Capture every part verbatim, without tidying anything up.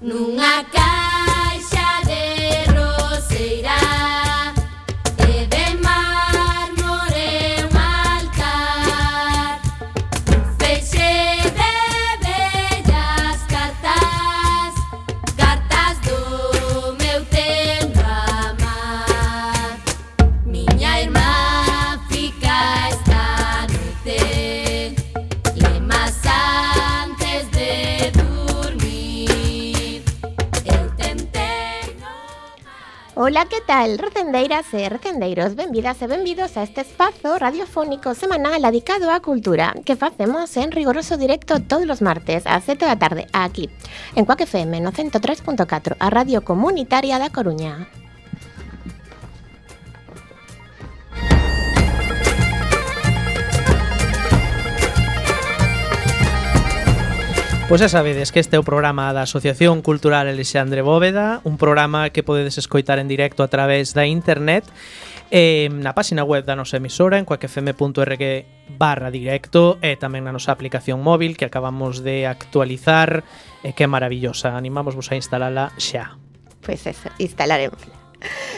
nunha caixa de roseira e de mármore un altar, un feixe de bellas cartas, cartas do meu tempo amar. Miña irmá fica esta noite lemas antes de dormir. Eu tentei no mar. Ola, que tal, recendeiras e recendeiros? Benvidas e benvidos a este espazo radiofónico semanal dedicado á cultura que facemos en rigoroso directo todos os martes ás sete da tarde aquí, en Cuac F M no ciento tres punto catro, a radio comunitaria da Coruña. Pois xa sabedes que este é o programa da Asociación Cultural Alexandre Bóveda, un programa que podedes escoitar en directo a través da internet eh, na página web da nosa emisora en cuacfm punto org barra directo e tamén na nosa aplicación móvil que acabamos de actualizar e que é maravillosa. Animámosvos a instalala xa. Pois eso, instalaremos.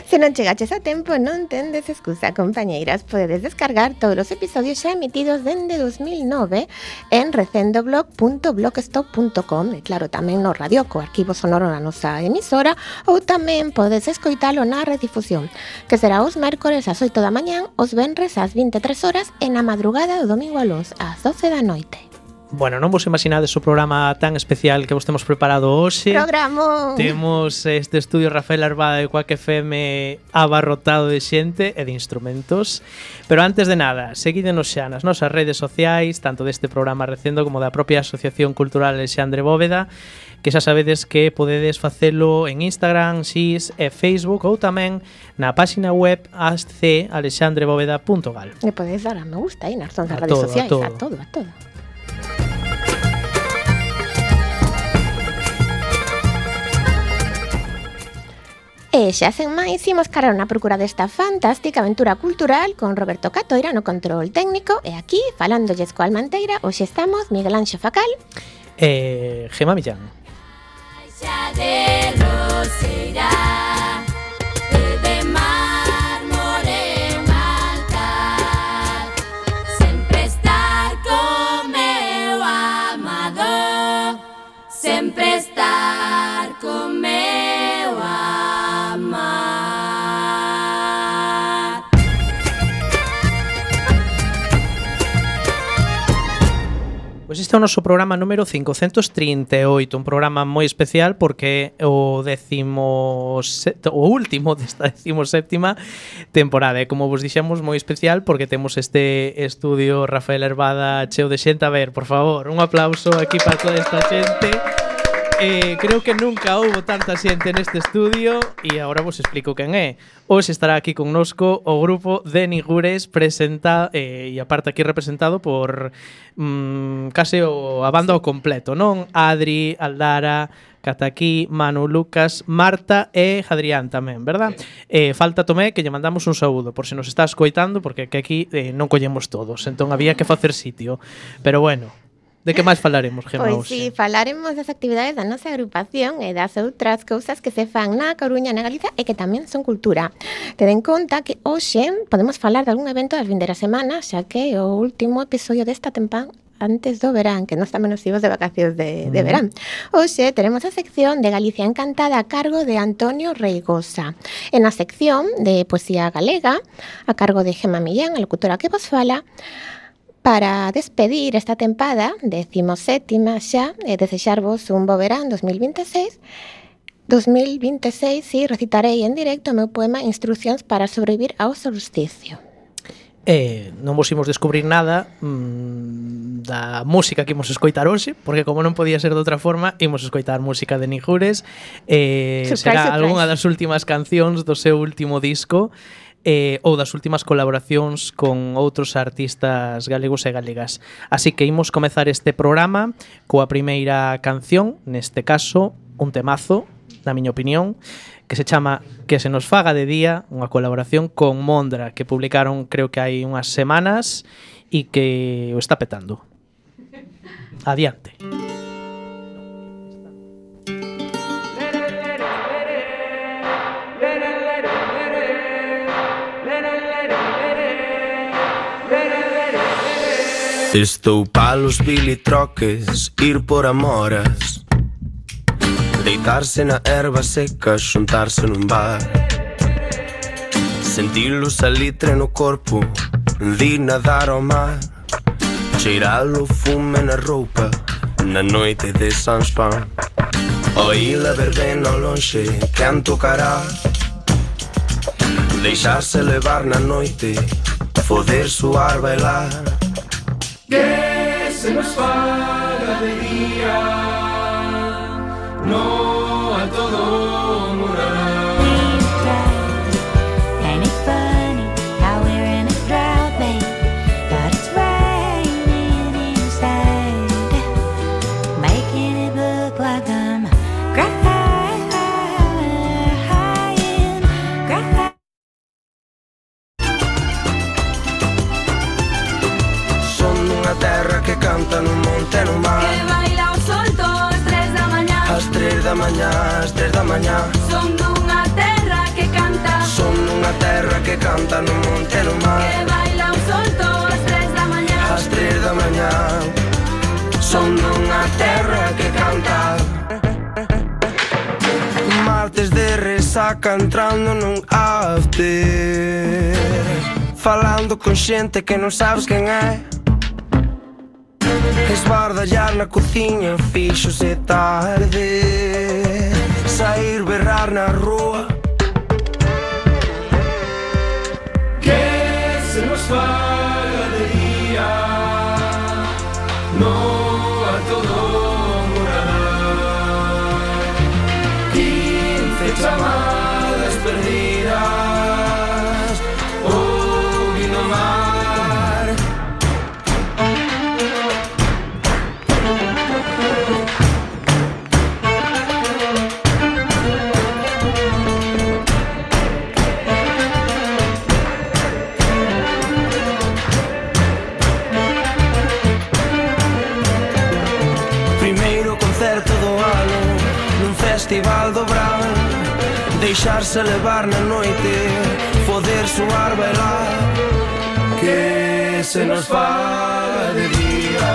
Se non chegaches a tempo, non tendes excusa, compañeiras. Podedes descargar todos os episodios xa emitidos dende dos mil nove en recendoblog punto blogspot punto com e claro, tamén no radio co arquivo sonoro na nosa emisora, ou tamén podes escoitalo na redifusión, que será os mércores ás oito da mañán, os venres ás vinte e tres horas e na madrugada do domingo a luns ás doce da noite. Bueno, non vos imaginades o programa tan especial que vos temos preparado hoxe. Programa! Temos este estudio Rafael Arbada de Cuac F M abarrotado de xente e de instrumentos. Pero antes de nada, seguídenos xa nas nosas redes sociais, tanto deste programa Recendo como da propia Asociación Cultural Alexandre Bóveda, que xa sabedes que podedes facelo en Instagram, X e Facebook ou tamén na página web a c alexandre bóveda punto gal. E podedes dar a me gusta aí nas nosas A redes todo, a sociais, todo. a todo, a todo. E xa sen máis, imos cargar na procura desta fantástica aventura cultural con Roberto Catoira no control técnico e aquí, falándolles coa Almanteira, hoxe estamos Miguel Anxo Facal E Gema Millán. Caixa de roseira e de mármore un altar, sempre estar co meu amado, sempre estar co meu amar. Pois este é o noso programa número cincocentos trinta e oito, un programa moi especial porque é o décimo set, o último desta décimo séptima temporada. E como vos dixemos, moi especial porque temos este estudio Rafael Arbada cheo de xente. A ver, por favor, un aplauso aquí para toda esta xente. Eh, creo que nunca houbo tanta xente neste estudio e agora vos explico quen é. Hoxe estará aquí connosco o grupo de Nigures presenta eh, e aparte aquí representado por mm, case o, a banda ao completo, non? Adri, Aldara, Cataquí, Manu, Lucas, Marta e Adrián tamén, verdad? Eh, falta Tomé, que lle mandamos un saúdo por se nos está escoitando, porque que aquí eh, non collemos todos, entón había que facer sitio. Pero bueno, de que máis falaremos, Gemma? Pois si, falaremos das actividades da nosa agrupación e das outras cousas que se fan na Coruña, na Galiza e que tamén son cultura. Ten en conta que hoxe podemos falar de algún evento das vindeiras semanas, xa que é o último episodio desta tempada antes do verán, que nós tamén nos imos de vacacións de, de verán. Hoxe teremos a sección de Galicia Encantada a cargo de Antonio Reigosa. En a sección de Poesía Galega, a cargo de Gema Millán, a locutora que vos fala, para despedir esta tempada, decimoséptima xa, e desexarvos un bo verán dos mil vinteseis. dos mil vinteseis, si, recitarei en directo o meu poema Instruccións para sobrevivir ao solsticio. Eh, non vos imos descubrir nada mmm, da música que imos escoitar hoxe, porque como non podía ser de outra forma, imos escoitar música de Nigures. Eh, surprise, será surprise. algunha das últimas cancións do seu último disco, eh, ou das últimas colaboracións con outros artistas galegos e galegas. Así que imos comezar este programa coa primeira canción, neste caso, un temazo, na miña opinión, que se chama Que se nos faga de día, unha colaboración con Mondra, que publicaron creo que hai unhas semanas e que o está petando. Adiante. Estou palos bilitroques, ir por amoras, deitarse na erva seca, xuntarse nun bar, sentir o salitre no corpo, di nadar ao mar, cheirar o fume na roupa, na noite de San Juan. Oíla verbena ao lonxe, quen tocará, deixarse levar na noite, poder suar, bailar. Que se nos faga de día, no a todo morará. Ain't it funny how we're in a drought, babe, but it's raining inside, making it look like I'm crying, crying. Son unha terra que canta no monte e no mar, Que baila o solto ás tres da mañá. ás tres da mañá, ás tres da mañá. Son dunha terra que canta. Son unha terra que canta no monte e no mar, Que baila o solto ás tres da mañá. ás tres da mañá. Son unha terra que canta. Martes de resaca entrando nun after, falando con xente que non sabes quen é, esbardallar na cociña fíxose tarde, sair berrar na rúa. Que se nos faga de día, no a todo morará. Quince chamadas perdidas, ouvindo mar. Primeiro concerto do ano nun festival do Brau, deixarse levar na noite, poder suar, bailar. Que se nos faga de día.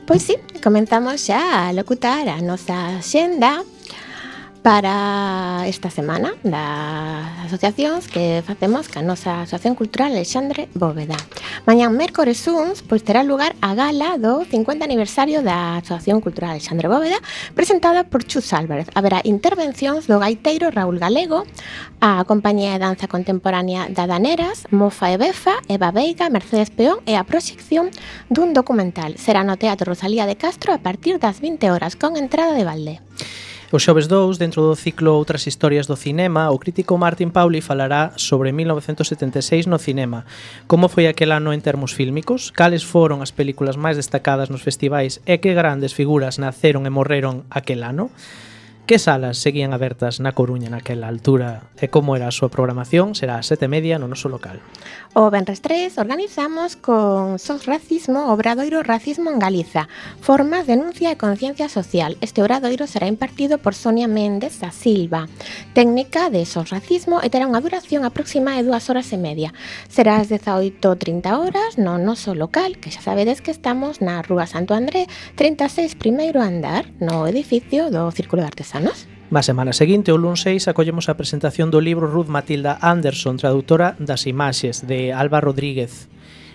Pois sí, comenzamos xa a locutar a nosa xenda para esta semana das asociacións que facemos ca nosa Asociación Cultural Alexandre Bóveda. Mañán mércores uns, pois terá lugar a gala do cincuenta aniversario da Asociación Cultural Alexandre Bóveda, presentada por Chus Álvarez. Haberá intervencións do gaiteiro Raúl Galego, a compañía de danza contemporánea da Daneras, Mofa e Befa, Eva Veiga, Mercedes Peón e a proxección dun documental. Será no Teatro Rosalía de Castro a partir das vinte horas con entrada de balde. O xoves dous, dentro do ciclo Outras historias do cinema, o crítico Martín Pauli falará sobre mil novecentos setenta e seis no cinema. Como foi aquel ano en termos fílmicos? Cales foron as películas máis destacadas nos festivais e que grandes figuras naceron e morreron aquel ano? Que salas seguían abertas na Coruña naquela altura e como era a súa programación? Será a sete e media no noso local. O venres tres organizamos con Sos Racismo o Obradoiro Racismo en Galiza, formas, denuncia e conciencia social. Este obradoiro será impartido por Sonia Méndez da Silva, técnica de Sos Racismo, e terá unha duración aproxima de dúas horas e media. Será ás dezaoito e trinta horas no noso local, que xa sabedes que estamos na Rúa Santo André trinta e seis, primeiro andar, no edificio do Círculo de Artesanos. Na semana seguinte, o luns seis, acollemos a presentación do libro Ruth Matilda Anderson, traductora das imaxes, de Alba Rodríguez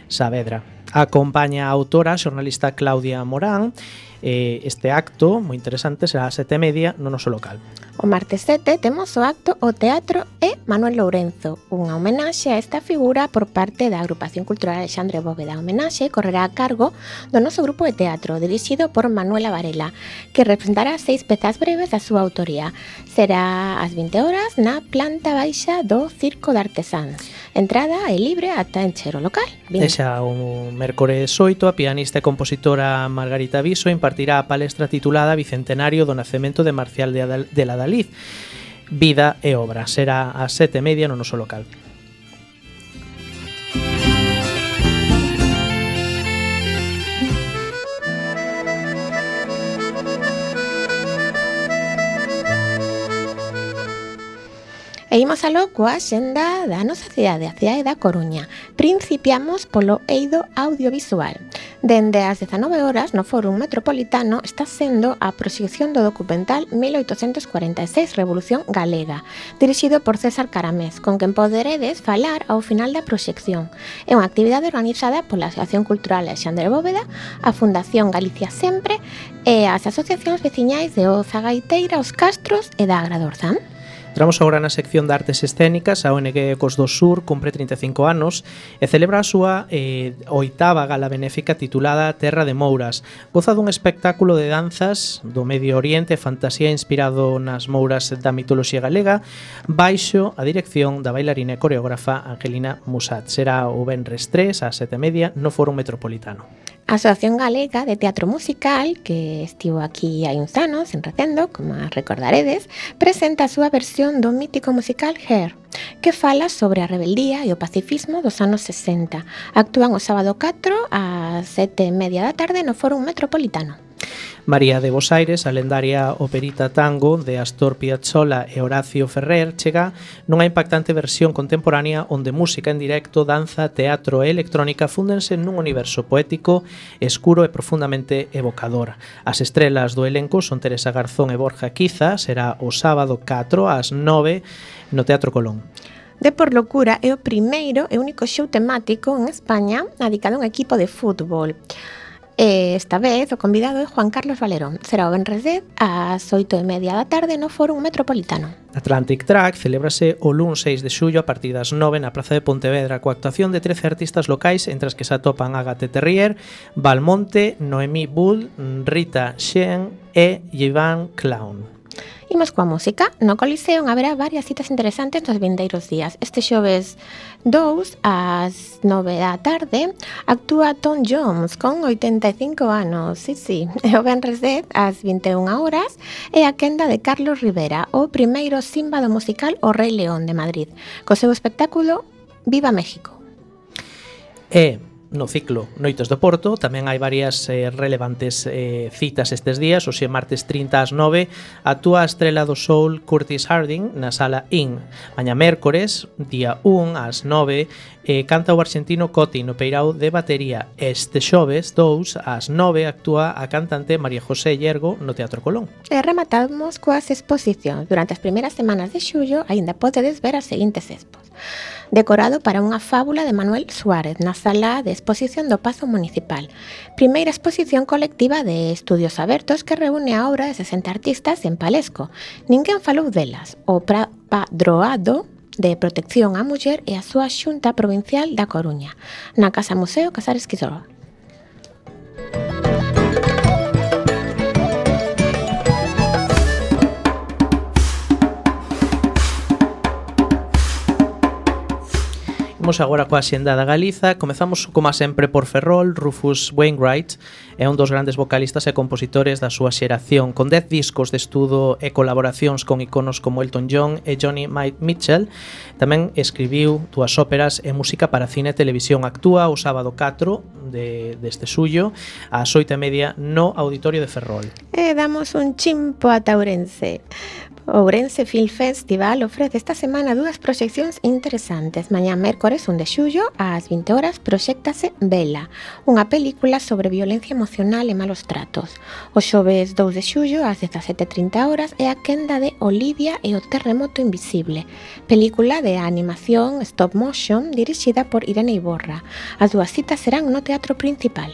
Saavedra. Acompaña a autora, a xornalista Claudia Morán, Eh, este acto, moi interesante, será a sete e media no noso local. O martes sete temos o acto O Teatro e Manuel Lourenzo, unha homenaxe a esta figura por parte da Agrupación Cultural Alexandre Bóveda. A homenaxe correrá a cargo do noso grupo de teatro, dirixido por Manuela Varela, que representará seis pezas breves da súa autoría. Será ás vinte horas na planta baixa do Circo de Artesáns. Entrada é libre ata encher o local. E xa o mércores oito, a pianista e compositora Margarita Viso impartirá a palestra titulada Bicentenario do nacemento de Marcial de, Adal de la Dalí, Vida e Obra. Será ás sete e media no noso local. E imos aló coa xenda da nosa cidade, a cidade da Coruña. Principiamos polo eido audiovisual. Dende as dezanove horas no Fórum Metropolitano está sendo a proxección do documental mil oitocentos cuarenta e seis Revolución Galega, dirixido por César Caramés, con quen poderedes falar ao final da proxección. É unha actividade organizada pola Asociación Cultural Alexandre Bóveda, a Fundación Galicia Sempre e as asociacións veciñais de Oza Gaiteira, Os Castros e da Agradorzán. Entramos agora na sección de artes escénicas. A O N G Ecos do Sur cumpre trinta e cinco anos e celebra a súa eh, oitava gala benéfica titulada Terra de Mouras. Goza dun espectáculo de danzas do Medio Oriente e fantasía inspirado nas mouras da mitoloxía galega, baixo a dirección da bailarina e coreógrafa Angelina Musat. Será o venres tres ás sete e media no Fórum Metropolitano. A Asociación Galega de Teatro Musical, que estivo aquí hai uns anos en Recendo, como recordaredes, presenta a súa versión do mítico musical Hair, que fala sobre a rebeldía e o pacifismo dos anos sesenta. Actúan o sábado catro ás sete e media da tarde no Fórum Metropolitano. María de Bos Aires, a lendaria operita tango de Astor Piazzolla e Horacio Ferrer, chega nunha impactante versión contemporánea onde música en directo, danza, teatro e electrónica fúndense nun universo poético, escuro e profundamente evocador. As estrelas do elenco son Teresa Garzón e Borja Quiza. Será o sábado catro ás nove no Teatro Colón. De Por Locura é o primeiro e único show temático en España dedicado a un equipo de fútbol. E esta vez o convidado é Juan Carlos Valerón. Será o venres dez ás oito e media da tarde no Fórum Metropolitano. Atlantic Track celébrase o luns seis de xullo a partir das nove na Praza de Pontevedra coa actuación de trece artistas locais, entre as que se atopan Agathe Terrier, Valmonte, Noemí Bull, Rita Shen e Ivan Clown. Imos coa música. No Coliseo haberá varias citas interesantes nos vindeiros días. Este xoves dous ás nove da tarde actúa Tom Jones con oitenta e cinco anos. Sí, sí. E o venres dez ás vinte e unha horas é a quenda de Carlos Rivera, o primeiro símbolo musical O Rei León de Madrid, co seu espectáculo Viva México. E no ciclo Noites do Porto tamén hai varias eh, relevantes eh, citas estes días. Hoxe martes trinta ás nove actúa a estrela do soul Curtis Harding na Sala In. Mañá mércores, día un ás nove, eh, canta o arxentino Coti no peirao de batería. Este xoves dous ás nove actúa a cantante María José Llergo no Teatro Colón. E rematamos coas exposicións. Durante as primeiras semanas de xullo aínda podedes ver as seguintes expos. Decorado para unha fábula de Manuel Suárez na sala de exposición do Pazo Municipal. Primeira exposición colectiva de estudios abertos que reúne a obra de sesenta artistas en Palesco. Ninguén falou delas. O Padroado de Protección á Muller e a súa Xunta Provincial da Coruña, na Casa Museo Casares Quisroa. Imos agora coa xenda da Galiza. Comezamos, como sempre, por Ferrol. Rufus Wainwright é un dos grandes vocalistas e compositores da súa xeración, con dez discos de estudo e colaboracións con iconos como Elton John e Joni Mitchell. Tamén escribiu dúas óperas e música para cine e televisión. Actúa o sábado catro de, deste xullo ás oito e media no Auditorio de Ferrol. E damos un chimpo a Ourense. O Ourense Film Festival ofrece esta semana dúas proxeccións interesantes. Mañá mércores un de xullo ás vinte horas proxéctase Vela, unha película sobre violencia emocional e malos tratos. O xoves dous de xullo ás dezasete e trinta horas é a quenda de Olivia e o terremoto invisible, película de animación stop motion dirixida por Irene Iborra. As dúas citas serán no Teatro Principal.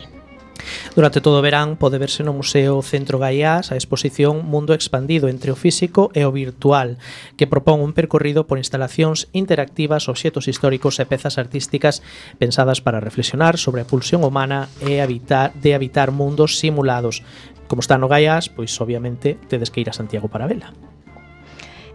Durante todo o verán pode verse no Museo Centro Gaiás a exposición Mundo expandido entre o físico e o virtual, que propón un percorrido por instalacións interactivas, obxetos históricos e pezas artísticas pensadas para reflexionar sobre a pulsión humana e habitar, de habitar mundos simulados. Como está no Gaiás, pois obviamente tedes que ir a Santiago para vela.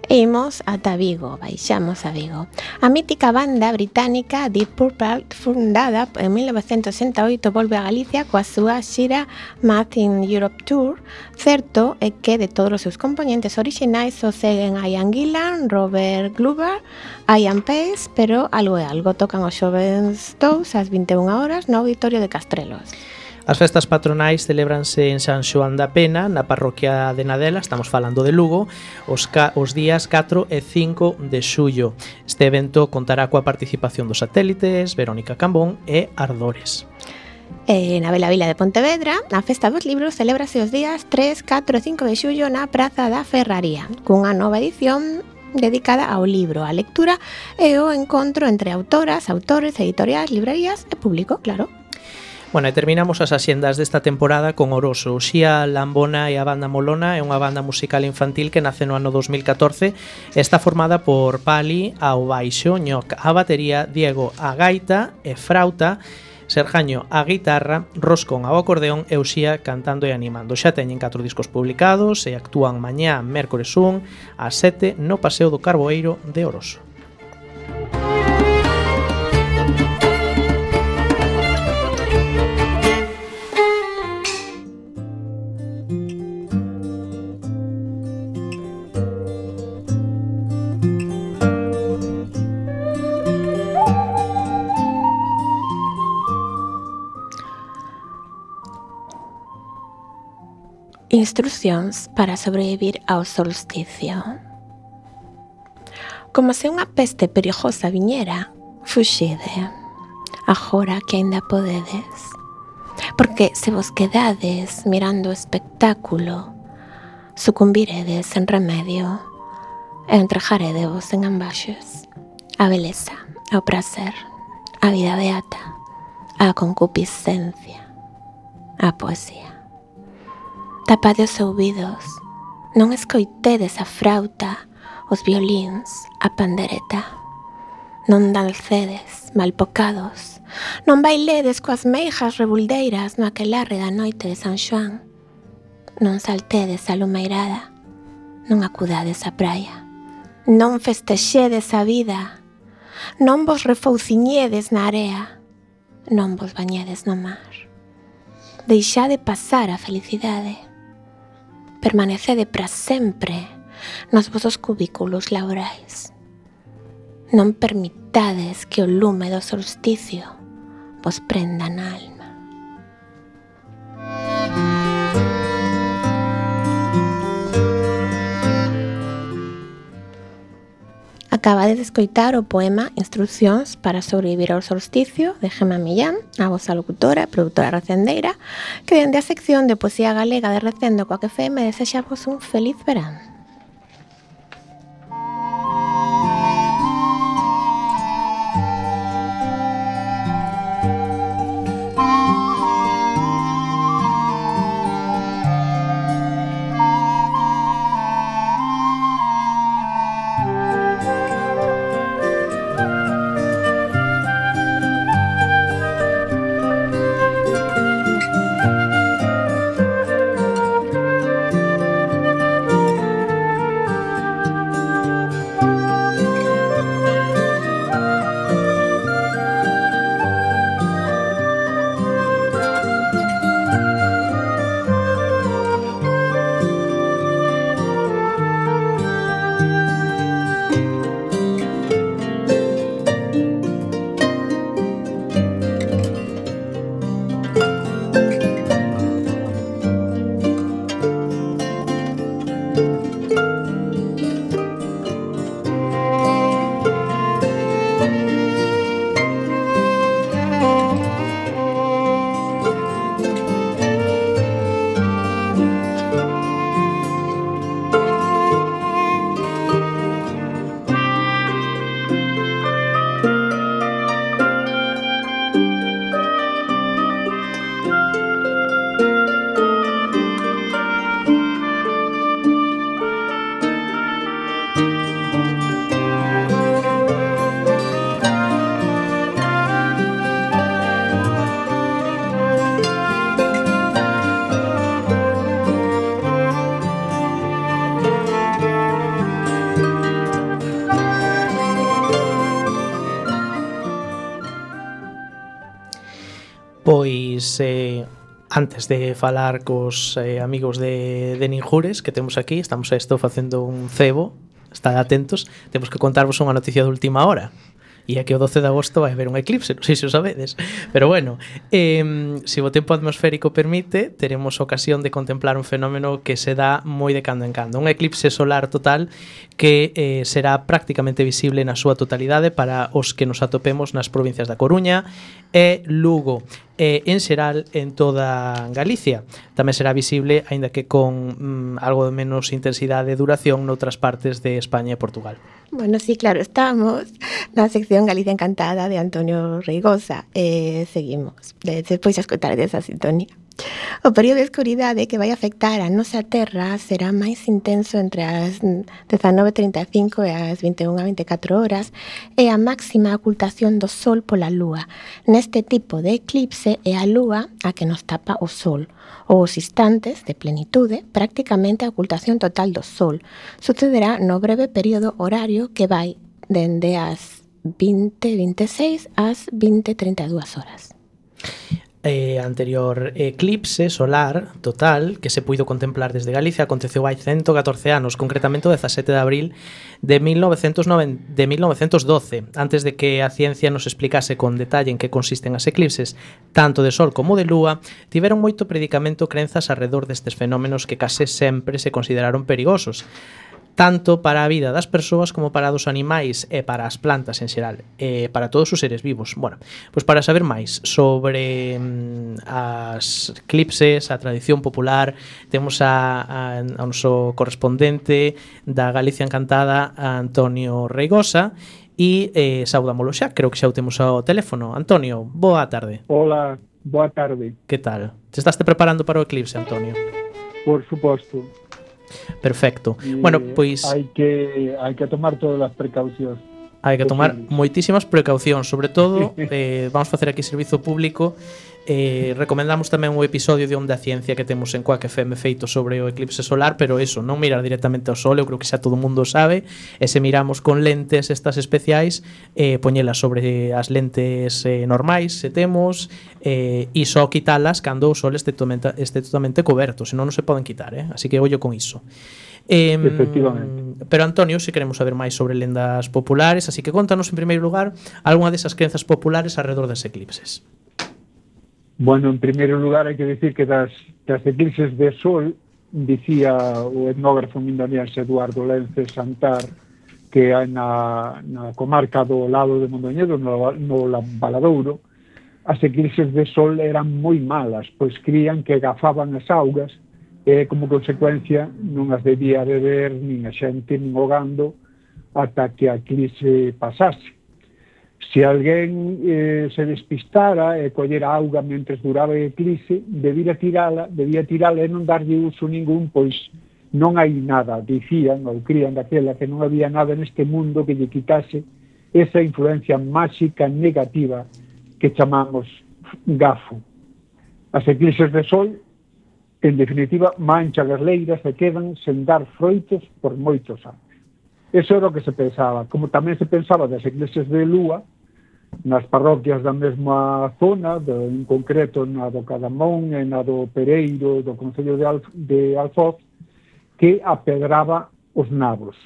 E imos ata Vigo, baixamos a Vigo. A mítica banda británica Deep Purple, fundada en mil novecentos sesenta e oito, volve a Galicia coa súa xira Math in Europe Tour. Certo é que de todos os seus componentes orixinais só seguen Ian Gillan, Robert Glover, Ian Pace, pero algo é algo, tocan os xovens Toes ás vinte e unha horas no Auditorio de Castrelos. As festas patronais celébranse en San Xoán da Pena, na parroquia de Nadela, estamos falando de Lugo, os, ca- os días catro e cinco de xullo. Este evento contará coa participación dos satélites, Verónica Cambón e Ardores. E na Bela Vila de Pontevedra, a Festa dos Libros celébrase os días tres, catro e cinco de xullo na Praza da Ferraría, cunha nova edición dedicada ao libro, á lectura e ao encontro entre autoras, autores, editoriais, librerías e público, claro. Bueno, e terminamos as axendas desta temporada con Oroso. Xía Lambona e a banda Molona é unha banda musical infantil que nace no ano dos mil catorce e está formada por Pali ao baixo, Ñoc a batería, Diego a gaita e frauta, Serjaño a guitarra, Roscón ao acordeón e Uxía cantando e animando. Xa teñen catro discos publicados e actúan mañá, mércores un, ás sete, no Paseo do Carboeiro de Oroso. Instrucións para sobrevivir ao solsticio. Como se unha peste perigosa viñera, fuxide, agora que aínda podedes. Porque se vos quedades mirando o espectáculo, sucumbiredes en remedio e entregaredevos en ambaxes a beleza, ao prazer, a vida beata, a concupiscencia, a poesía. Tapade os ouvidos, non escoitedes a frauta, os violíns, a pandereta. Non dancedes, malpocados, non bailedes coas meijas rebuldeiras no aquelarre da noite de San Xoán. Non saltedes a lumeirada, non acudades á praia. Non festexedes a vida, non vos refouciñedes na area, non vos bañedes no mar. Deixade pasar a felicidade. Permanecede para sempre nos vosos cubículos laborais. Non permitades que o lume do solsticio vos prenda na alma. Acabades de escoitar o poema Instrucións para sobrevivir ao solsticio de Gemma Millán, a vosa locutora e produtora recendeira, que dende a sección de poesía galega de Recendo coa F M desexamos un feliz verán. Pois eh, antes de falar cos eh, amigos de, de Ninjures que temos aquí, estamos a isto facendo un cebo, estad atentos, temos que contarvos unha noticia de última hora. E é que o doce de agosto vai haber un eclipse, non sei se o sabedes. Pero bueno, eh, se o tempo atmosférico permite, teremos ocasión de contemplar un fenómeno que se dá moi de cando en cando. Un eclipse solar total que eh, será prácticamente visible na súa totalidade para os que nos atopemos nas provincias da Coruña e Lugo. E en xeral en toda Galicia. Tamén será visible, aínda que con mm, algo de menos intensidade e duración noutras partes de España e Portugal. Bueno, sí, claro, estamos na sección Galicia Encantada de Antonio Reigosa e seguimos, de, despois a escotar desa sintonía. O período de escuridade que vai afectar a nosa terra será máis intenso entre as dezanove e trinta e cinco e as vinte e unha e vinte e catro horas e a máxima ocultación do sol pola lúa. Neste tipo de eclipse é a lúa a que nos tapa o sol. Os instantes de plenitude, prácticamente a ocultación total do sol. Sucederá no breve período horario que vai dende as vinte e vinte e seis ás vinte e trinta e dúas horas. Eh, anterior eclipse solar total que se puido contemplar desde Galicia aconteceu hai ciento catorce anos, concretamente o dezasete de abril de mil novecentos doce, antes de que a ciencia nos explicase con detalle en que consisten as eclipses, tanto de sol como de lúa, tiveron moito predicamento crenzas arredor destes fenómenos que case sempre se consideraron perigosos, tanto para a vida das persoas como para dos animais e para as plantas en xeral, e para todos os seres vivos. Bueno, pois para saber máis sobre mm, as eclipses, a tradición popular, temos a, a, a noso correspondente da Galicia Encantada, a Antonio Reigosa, e eh, saudámolo xa, creo que xa o temos ao teléfono. Antonio, boa tarde. Hola, boa tarde. Que tal? Te estás te preparando para o eclipse, Antonio? Por suposto. Perfecto. Y bueno, pois hai que hai que tomar todas as precaucións. Hai que tomar posibles. moitísimas precaucións, sobre todo eh, vamos facer aquí servizo público. Eh, recomendamos tamén un episodio de Onda Ciencia que temos en Quack F M feito sobre o eclipse solar, pero eso, non mirar directamente ao sol, eu creo que xa todo o mundo sabe, e se miramos con lentes estas especiais, eh, poñelas sobre as lentes eh, normais, se temos, eh, e só quitalas cando o sol este totalmente, este totalmente coberto, senón non se poden quitar, eh? Así que ollo con iso. Eh, Efectivamente. Pero Antonio, se queremos saber máis sobre lendas populares, así que contanos en primeiro lugar algunha desas crenzas populares alrededor das eclipses. Bueno, en primeiro lugar hai que decir que das, das eclipses de sol dicía o etnógrafo mindaniense Eduardo Lence Santar que hai na, na comarca do lado de Mondoñedo, no, no Valadouro, as eclipses de sol eran moi malas, pois crían que gafaban as augas e como consecuencia non as debía beber nin a xente nin o gando ata que a eclipse pasase. Se alguén eh, se despistara e collera auga mentres duraba a eclipse, debía tirala, debía tirala e non darlle uso ningún, pois non hai nada, dicían ou crían daquela que non había nada neste mundo que lle quitase esa influencia máxica negativa que chamamos gafo. As eclipses de sol, en definitiva, manchan as leiras e quedan sen dar froitos por moitos anos. Eso era o que se pensaba. Como tamén se pensaba das eclipses de lúa, nas parroquias da mesma zona, de, en concreto na do Cadamón e na do Pereiro, do Concello de, Alf, de Alfoz, que apedraba os nabos.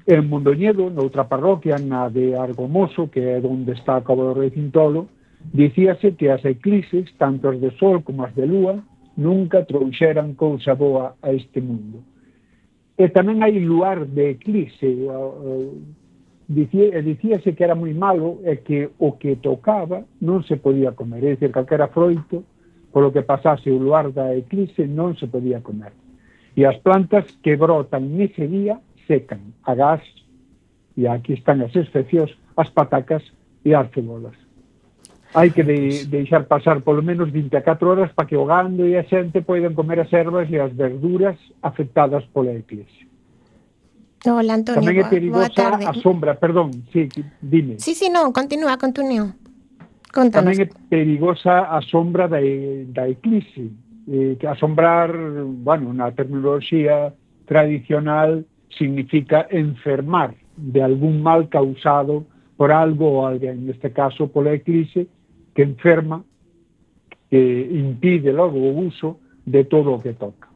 En Mondoñedo, noutra parroquia, na de Argomoso, que é onde está a Cabo do Rei Cintolo, dicíase que as eclipses, tanto as de sol como as de lúa, nunca trouxeran cousa boa a este mundo. E tamén hai luar de eclipse, dicía, dicíase que era moi malo e que o que tocaba non se podía comer, é dicir, calquera froito, polo que pasase o luar da eclipse non se podía comer. E as plantas que brotan nese día secan, agás, e aquí están as excepcións, as patacas e as cebolas. Hai que de, deixar pasar polo menos vinte e catro horas para que o gando e a xente poidan comer as ervas e as verduras afectadas pola eclipse. Hola, Antonio, Tamén é boa, boa perigosa tarde. a sombra, perdón, sí, dime. Sí, sí, non, continúa, continúa. Contanos. Tamén é perigosa a sombra da, da eclipse, eh, que asombrar, bueno, na terminoloxía tradicional significa enfermar de algún mal causado por algo ou alguén, neste caso pola eclipse, que enferma, que impide logo o uso de todo o que toca.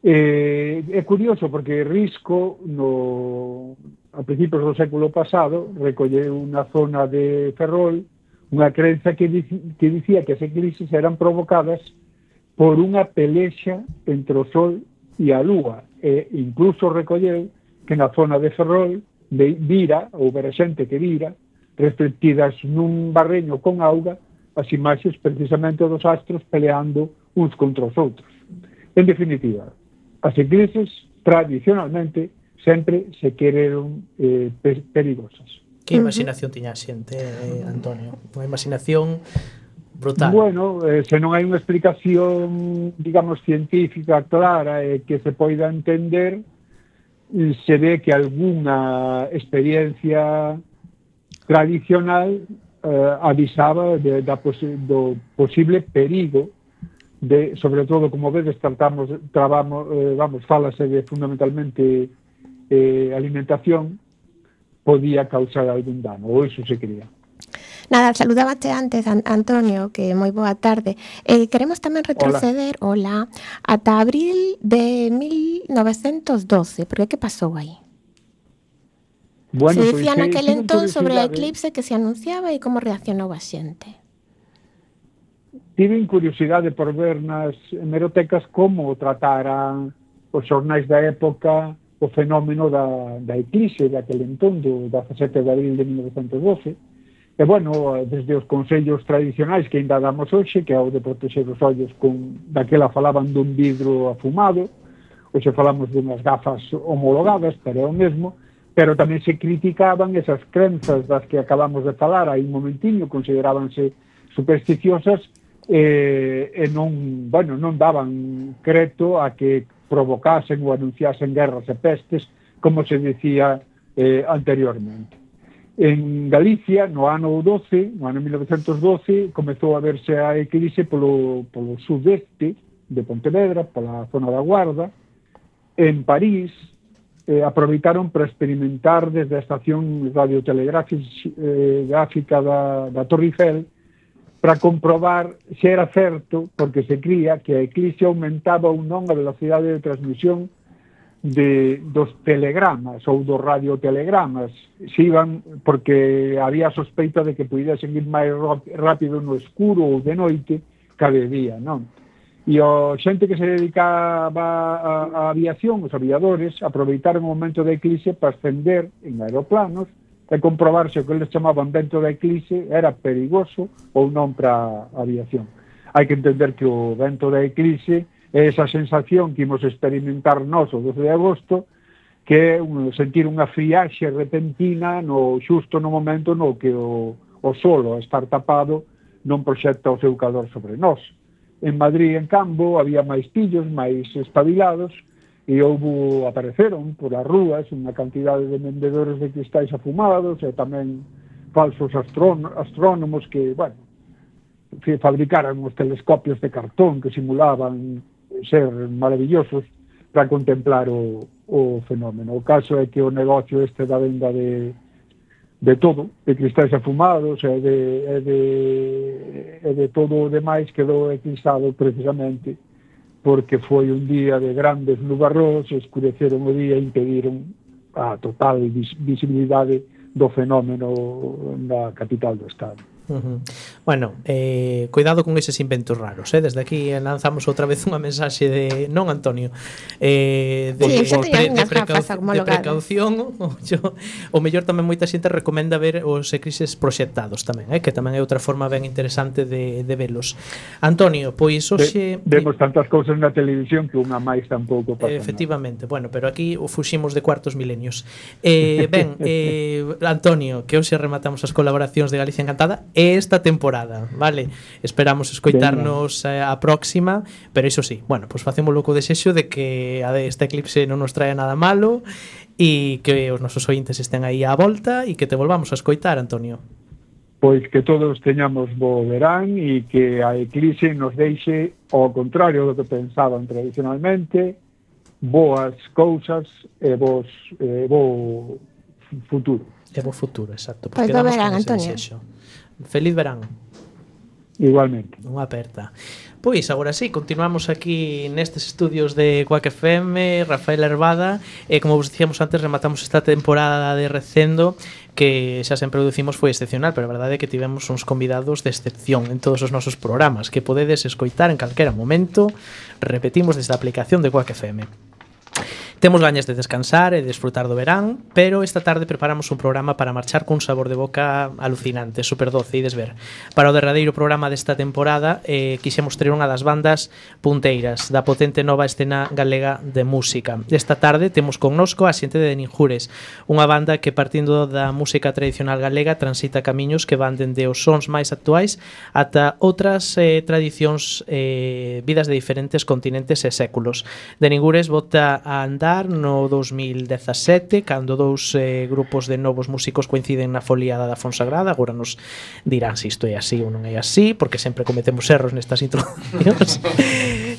Eh, é curioso porque Risco no, a principios do século pasado recolleu unha zona de Ferrol unha crenza que, dic, que dicía que as eclipses eran provocadas por unha pelexa entre o Sol e a Lúa, e incluso recolleu que na zona de Ferrol de vira, ou vera xente que vira, reflectidas nun barreño con auga, as imaxes precisamente dos astros peleando uns contra os outros. En definitiva, as eclipses tradicionalmente sempre se quereron eh, perigosas. Que imaginación tiña a xente, eh, Antonio? Unha imaginación brutal. Bueno, eh, se non hai unha explicación, digamos, científica clara e eh, que se poida entender, se ve que algunha experiencia tradicional eh, avisaba de, da posi do posible perigo de, sobre todo, como vedes, tratamos, trabamos, eh, vamos, falase de fundamentalmente eh, alimentación, podía causar algún dano, ou iso se cría. Nada, saludábate antes, An Antonio, que moi boa tarde. Eh, queremos tamén retroceder, hola, hola ata abril de mil novecentos doce, porque que pasou aí? Bueno, se dicía pues, naquel eh, entón sobre o eclipse que se anunciaba e como reaccionou a xente. Tiven curiosidade por ver nas hemerotecas como trataran os xornais da época o fenómeno da, da eclipse daquel entón, do dezasete de abril de mil novecentos doce. E, bueno, desde os consellos tradicionais que ainda damos hoxe, que é o de protexer os ollos con, daquela falaban dun vidro afumado, hoxe falamos dunhas gafas homologadas, pero é o mesmo, pero tamén se criticaban esas crenzas das que acabamos de falar aí un momentiño, considerábanse supersticiosas e, e non, bueno, non daban creto a que provocasen ou anunciasen guerras e pestes, como se decía eh, anteriormente. En Galicia, no ano doce, no ano mil novecentos doce, comezou a verse a eclipse polo, polo sudeste de Pontevedra, pola zona da Guarda. En París, eh, aproveitaron para experimentar desde a estación radiotelegráfica da, da Torre Eiffel para comprobar se era certo, porque se cría que a eclipse aumentaba ou non a velocidade de transmisión de, dos telegramas ou dos radiotelegramas, se iban, porque había sospeita de que pudesen ir máis rápido no escuro ou de noite que de día, non? E a xente que se dedicaba a, a aviación, os aviadores, aproveitaron o momento da eclipse para ascender en aeroplanos e comprobar se o que eles chamaban vento da eclipse era perigoso ou non para a aviación. Hai que entender que o vento da eclipse é esa sensación que imos experimentar nós o doce de agosto, que é un, sentir unha friaxe repentina no xusto no momento no que o, o solo, a estar tapado, non proxecta o seu calor sobre nós. En Madrid, en Cambo, había máis pillos, máis espabilados, e houve, apareceron por as rúas unha cantidade de vendedores de cristais afumados e tamén falsos astrónomos que, bueno, fabricaran os telescopios de cartón que simulaban ser maravillosos para contemplar o, o fenómeno. O caso é que o negocio este da venda de, de todo, de cristais afumados e de, e de, e de todo o demais quedou eclipsado precisamente porque foi un día de grandes nubarrós, escureceron o día e impediron a total vis visibilidade do fenómeno na capital do estado. Uh-huh. Bueno, eh, cuidado con eses inventos raros, eh? Desde aquí lanzamos outra vez unha mensaxe de non, Antonio, eh, de, sí, de, pre, de, precau de precaución. Yo, o mellor tamén moita xente recomenda ver os eclipses proxectados tamén, eh? Que tamén é outra forma ben interesante de, de velos. Antonio, pois hoxe de, vemos tantas cousas na televisión que unha máis tampouco pasa. Efectivamente, nada. Bueno, pero aquí o fuximos de cuartos milenios. Eh, ben, eh, Antonio, que hoxe rematamos as colaboracións de Galicia Encantada esta temporada, vale? Esperamos escoitarnos eh, a próxima, pero iso sí, bueno, pois pues facemos loco desexo de que a de este eclipse non nos traia nada malo e que os nosos ointes estén aí á volta e que te volvamos a escoitar, Antonio. Pois que todos teñamos bo verán e que a eclipse nos deixe, ao contrario do que pensaban tradicionalmente, boas cousas e vos eh, bo futuro. E bo futuro, exacto. Pois bo verán, Antonio. Desexo. Feliz verán. Igualmente. Unha aperta. Pois, agora sí, continuamos aquí nestes estudios de Quack F M, Rafael Herbada, e como vos dicíamos antes, rematamos esta temporada de Recendo, que xa sempre o dicimos foi excepcional, pero a verdade é que tivemos uns convidados de excepción en todos os nosos programas, que podedes escoitar en calquera momento, repetimos desde a aplicación de Quack F M. Temos gañas de descansar e de desfrutar do verán, pero esta tarde preparamos un programa para marchar cun sabor de boca alucinante, super doce, ides ver. Para o derradeiro programa desta temporada, eh, quixemos ter unha das bandas punteiras da potente nova escena galega de música. Esta tarde temos connosco a xente de Ninjures, unha banda que partindo da música tradicional galega transita camiños que van dende os sons máis actuais ata outras eh, tradicións, eh, vidas de diferentes continentes e séculos. De Ninjures bota a andar no dos mil dezasete, cando dous eh, grupos de novos músicos coinciden na foliada da Fonsagrada. Agora nos dirán se isto é así ou non é así, porque sempre cometemos erros nestas introduccións.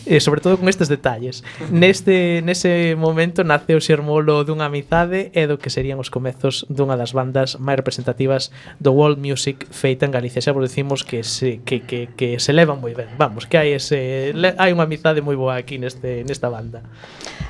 E sobre todo con estes detalles. Neste nese momento nace o xermolo dunha amizade e do que serían os comezos dunha das bandas máis representativas do world music feita en Galicia. Xa vos decimos que se que que que se levan moi ben. Vamos, que hai ese hai unha amizade moi boa aquí neste nesta banda.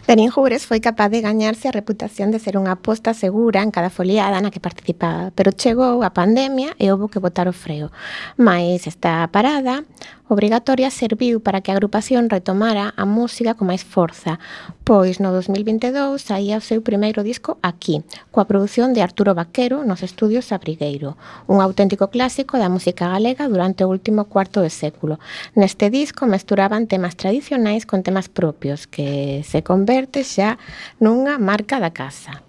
De Ninjures foi capaz de gañarse a reputación de ser unha aposta segura en cada foliada na que participaba, pero chegou a pandemia e houve que botar o freo. Mais esta parada obrigatoria serviu para que a agrupación retomara a música con máis forza, pois no dos mil vinte e dous saía o seu primeiro disco aquí, coa produción de Arturo Vaquero nos estudios Abrigueiro, un auténtico clásico da música galega durante o último cuarto de século. Neste disco mesturaban temas tradicionais con temas propios, que se converte xa nunha marca da casa.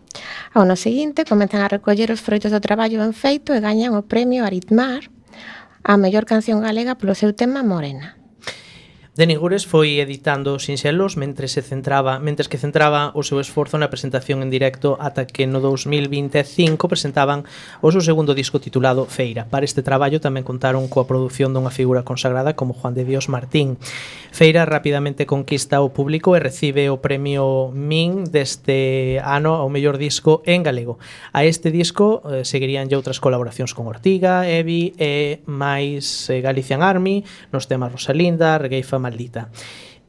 Ao ano seguinte comezan a recoller os froitos do traballo ben feito e gañan o premio Aritmar a mellor canción galega polo seu tema Morena. De Ninjures foi editando sinxelos mentre se centraba, mentres que centraba o seu esforzo na presentación en directo ata que no dos mil vinte e cinco presentaban o seu segundo disco titulado Feira. Para este traballo tamén contaron coa produción dunha figura consagrada como Juan de Dios Martín. Feira rapidamente conquista o público e recibe o premio Min deste ano ao mellor disco en galego. A este disco eh, seguirían outras colaboracións con Ortiga, Evi e máis eh, Galician Army nos temas Rosalinda, Regueifa Maldita.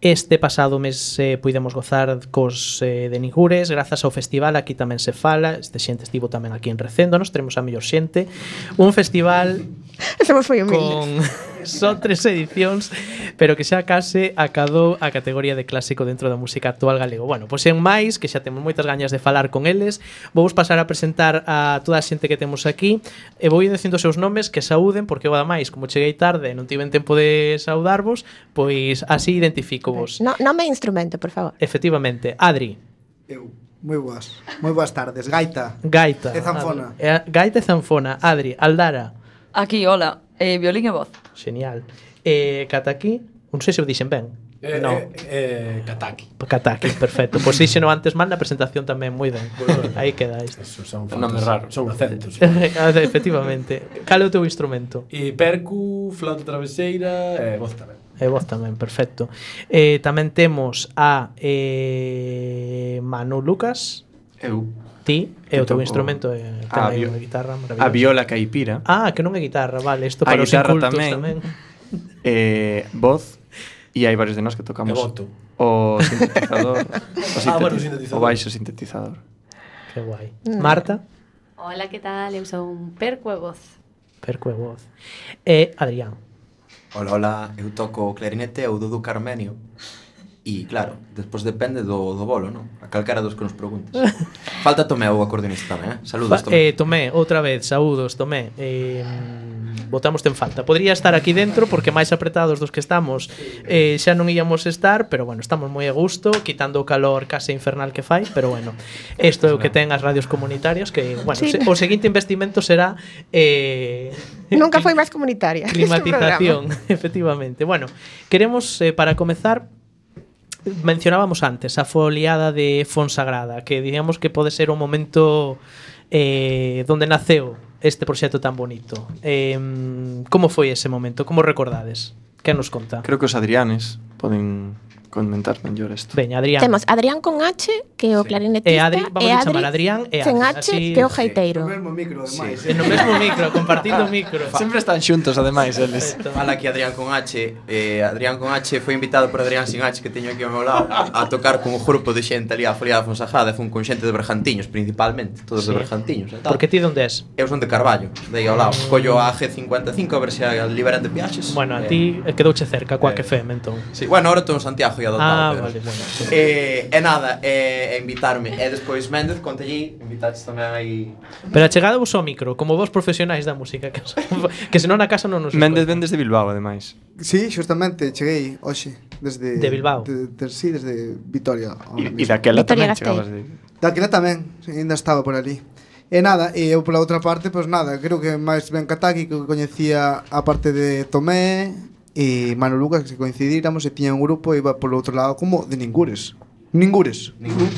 Este pasado mes eh, puidemos gozar cos eh, de Ninjures grazas ao festival, aquí tamén se fala, este xente estivo tamén aquí en Recendo, nos teremos a mellor xente, un festival Somos moi humildes. con só tres edicións, pero que xa case acadou a categoría de clásico dentro da música actual galego. Bueno, pois en máis, que xa temos moitas gañas de falar con eles, vou pasar a presentar a toda a xente que temos aquí e vou ir dicindo os seus nomes, que saúden, porque eu ademais, como cheguei tarde e non tiven tempo de saudarvos, pois así identifico vos. No, nome e instrumento, por favor. Efectivamente, Adri. Eu, moi boas, moi boas tardes. Gaita. Gaita. E zanfona. Adri. Gaita e zanfona. Adri, Aldara. Aquí, hola, eh, violín e voz. Genial. Eh, Kataki, non sei se o dixen ben. Eh, no. eh, eh, Kataki. Kataki, perfecto. Pois pues díxeno antes mal na presentación tamén moi ben. Aí queda isto. Eso son nome raro. Son acentos. Efectivamente. Cal é o teu instrumento? E percu, flauta traveseira e voz tamén. E voz tamén, perfecto. Eh, tamén temos a eh, Manu Lucas. Eu. Ti, e o teu instrumento é a, tamén bio, unha guitarra maravillosa. A viola caipira. Ah, que non é guitarra, vale, isto para a os incultos tamén. tamén. Eh, voz, e hai varios de nós que tocamos o sintetizador, o, ah, bueno, sintetizador. O baixo sintetizador. Que guai. Marta? Hola, que tal? Eu son perco e voz. Perco e voz. E Adrián? Hola, hola, eu toco o clarinete e o Dudu Carmenio. E, claro, despois depende do, do bolo, non? A calcara dos que nos preguntas. Falta Tomé, o acordeonista tamén, eh? Saludos, Eh, Tomé. Tomé, outra vez, saúdos, Tomé. Eh, botamos en falta. Podría estar aquí dentro, porque máis apretados dos que estamos eh, xa non íamos estar, pero bueno, estamos moi a gusto, quitando o calor case infernal que fai, pero bueno, isto é o que ten as radios comunitarias, que, bueno, Sí. se, o seguinte investimento será... Eh, Nunca foi máis comunitaria. climatización, efectivamente. Bueno, queremos, eh, para comezar, mencionábamos antes a foliada de Fonsagrada, que digamos que pode ser un momento eh, donde naceu este proxecto tan bonito. Eh, como foi ese momento? Como recordades? Que nos conta? Creo que os Adrianes poden comentar mellor isto. Veña, Adrián. Temos Adrián con H, que é o clarinetista, E Adri, vamos a chamar Adrián e sen Adri, H, así- que é o gaiteiro. No mesmo micro, ademais. Sí, no mesmo micro, compartindo o micro. Sempre están xuntos, ademais, eles. Fala aquí Adrián con H. Eh, Adrián con H foi invitado por Adrián sin H, que teño aquí ao meu lado, a tocar con un grupo de xente ali a Foliada Fonsagrada, fun con xente de Bergantiños, principalmente, todos Sí. de Bergantiños e tal. Porque ti onde es? Eu son de Carballo, de aí ao lado. Collo a G cincuenta e cinco a ver se liberan de viaxes. Bueno, a Eh, ti quedouche cerca, coa que feme, entón. Sí, bueno, ahora estou en Santiago e adoptado. Ah, pero... vale, bueno. Sí. Eh, e nada, eh, e invitarme. E despois Méndez, conte allí, invitaches tamén aí. Pero achegado vos ao micro, como vos profesionais da música, que, que senón na casa non nos Méndez escoitan. ven desde Bilbao, ademais. Sí, xustamente, cheguei hoxe desde De Bilbao. de, de, sí, desde Vitoria. E, e daquela Vitoria tamén Gasteiz. chegabas de... Daquela tamén, sí, ainda estaba por ali. E nada, e eu pola outra parte, pois nada, creo que máis ben Kataki, que coñecía a parte de Tomé e Manu Lucas, que se coincidíramos e tiña un grupo e iba polo outro lado como de Ningures. Ningures.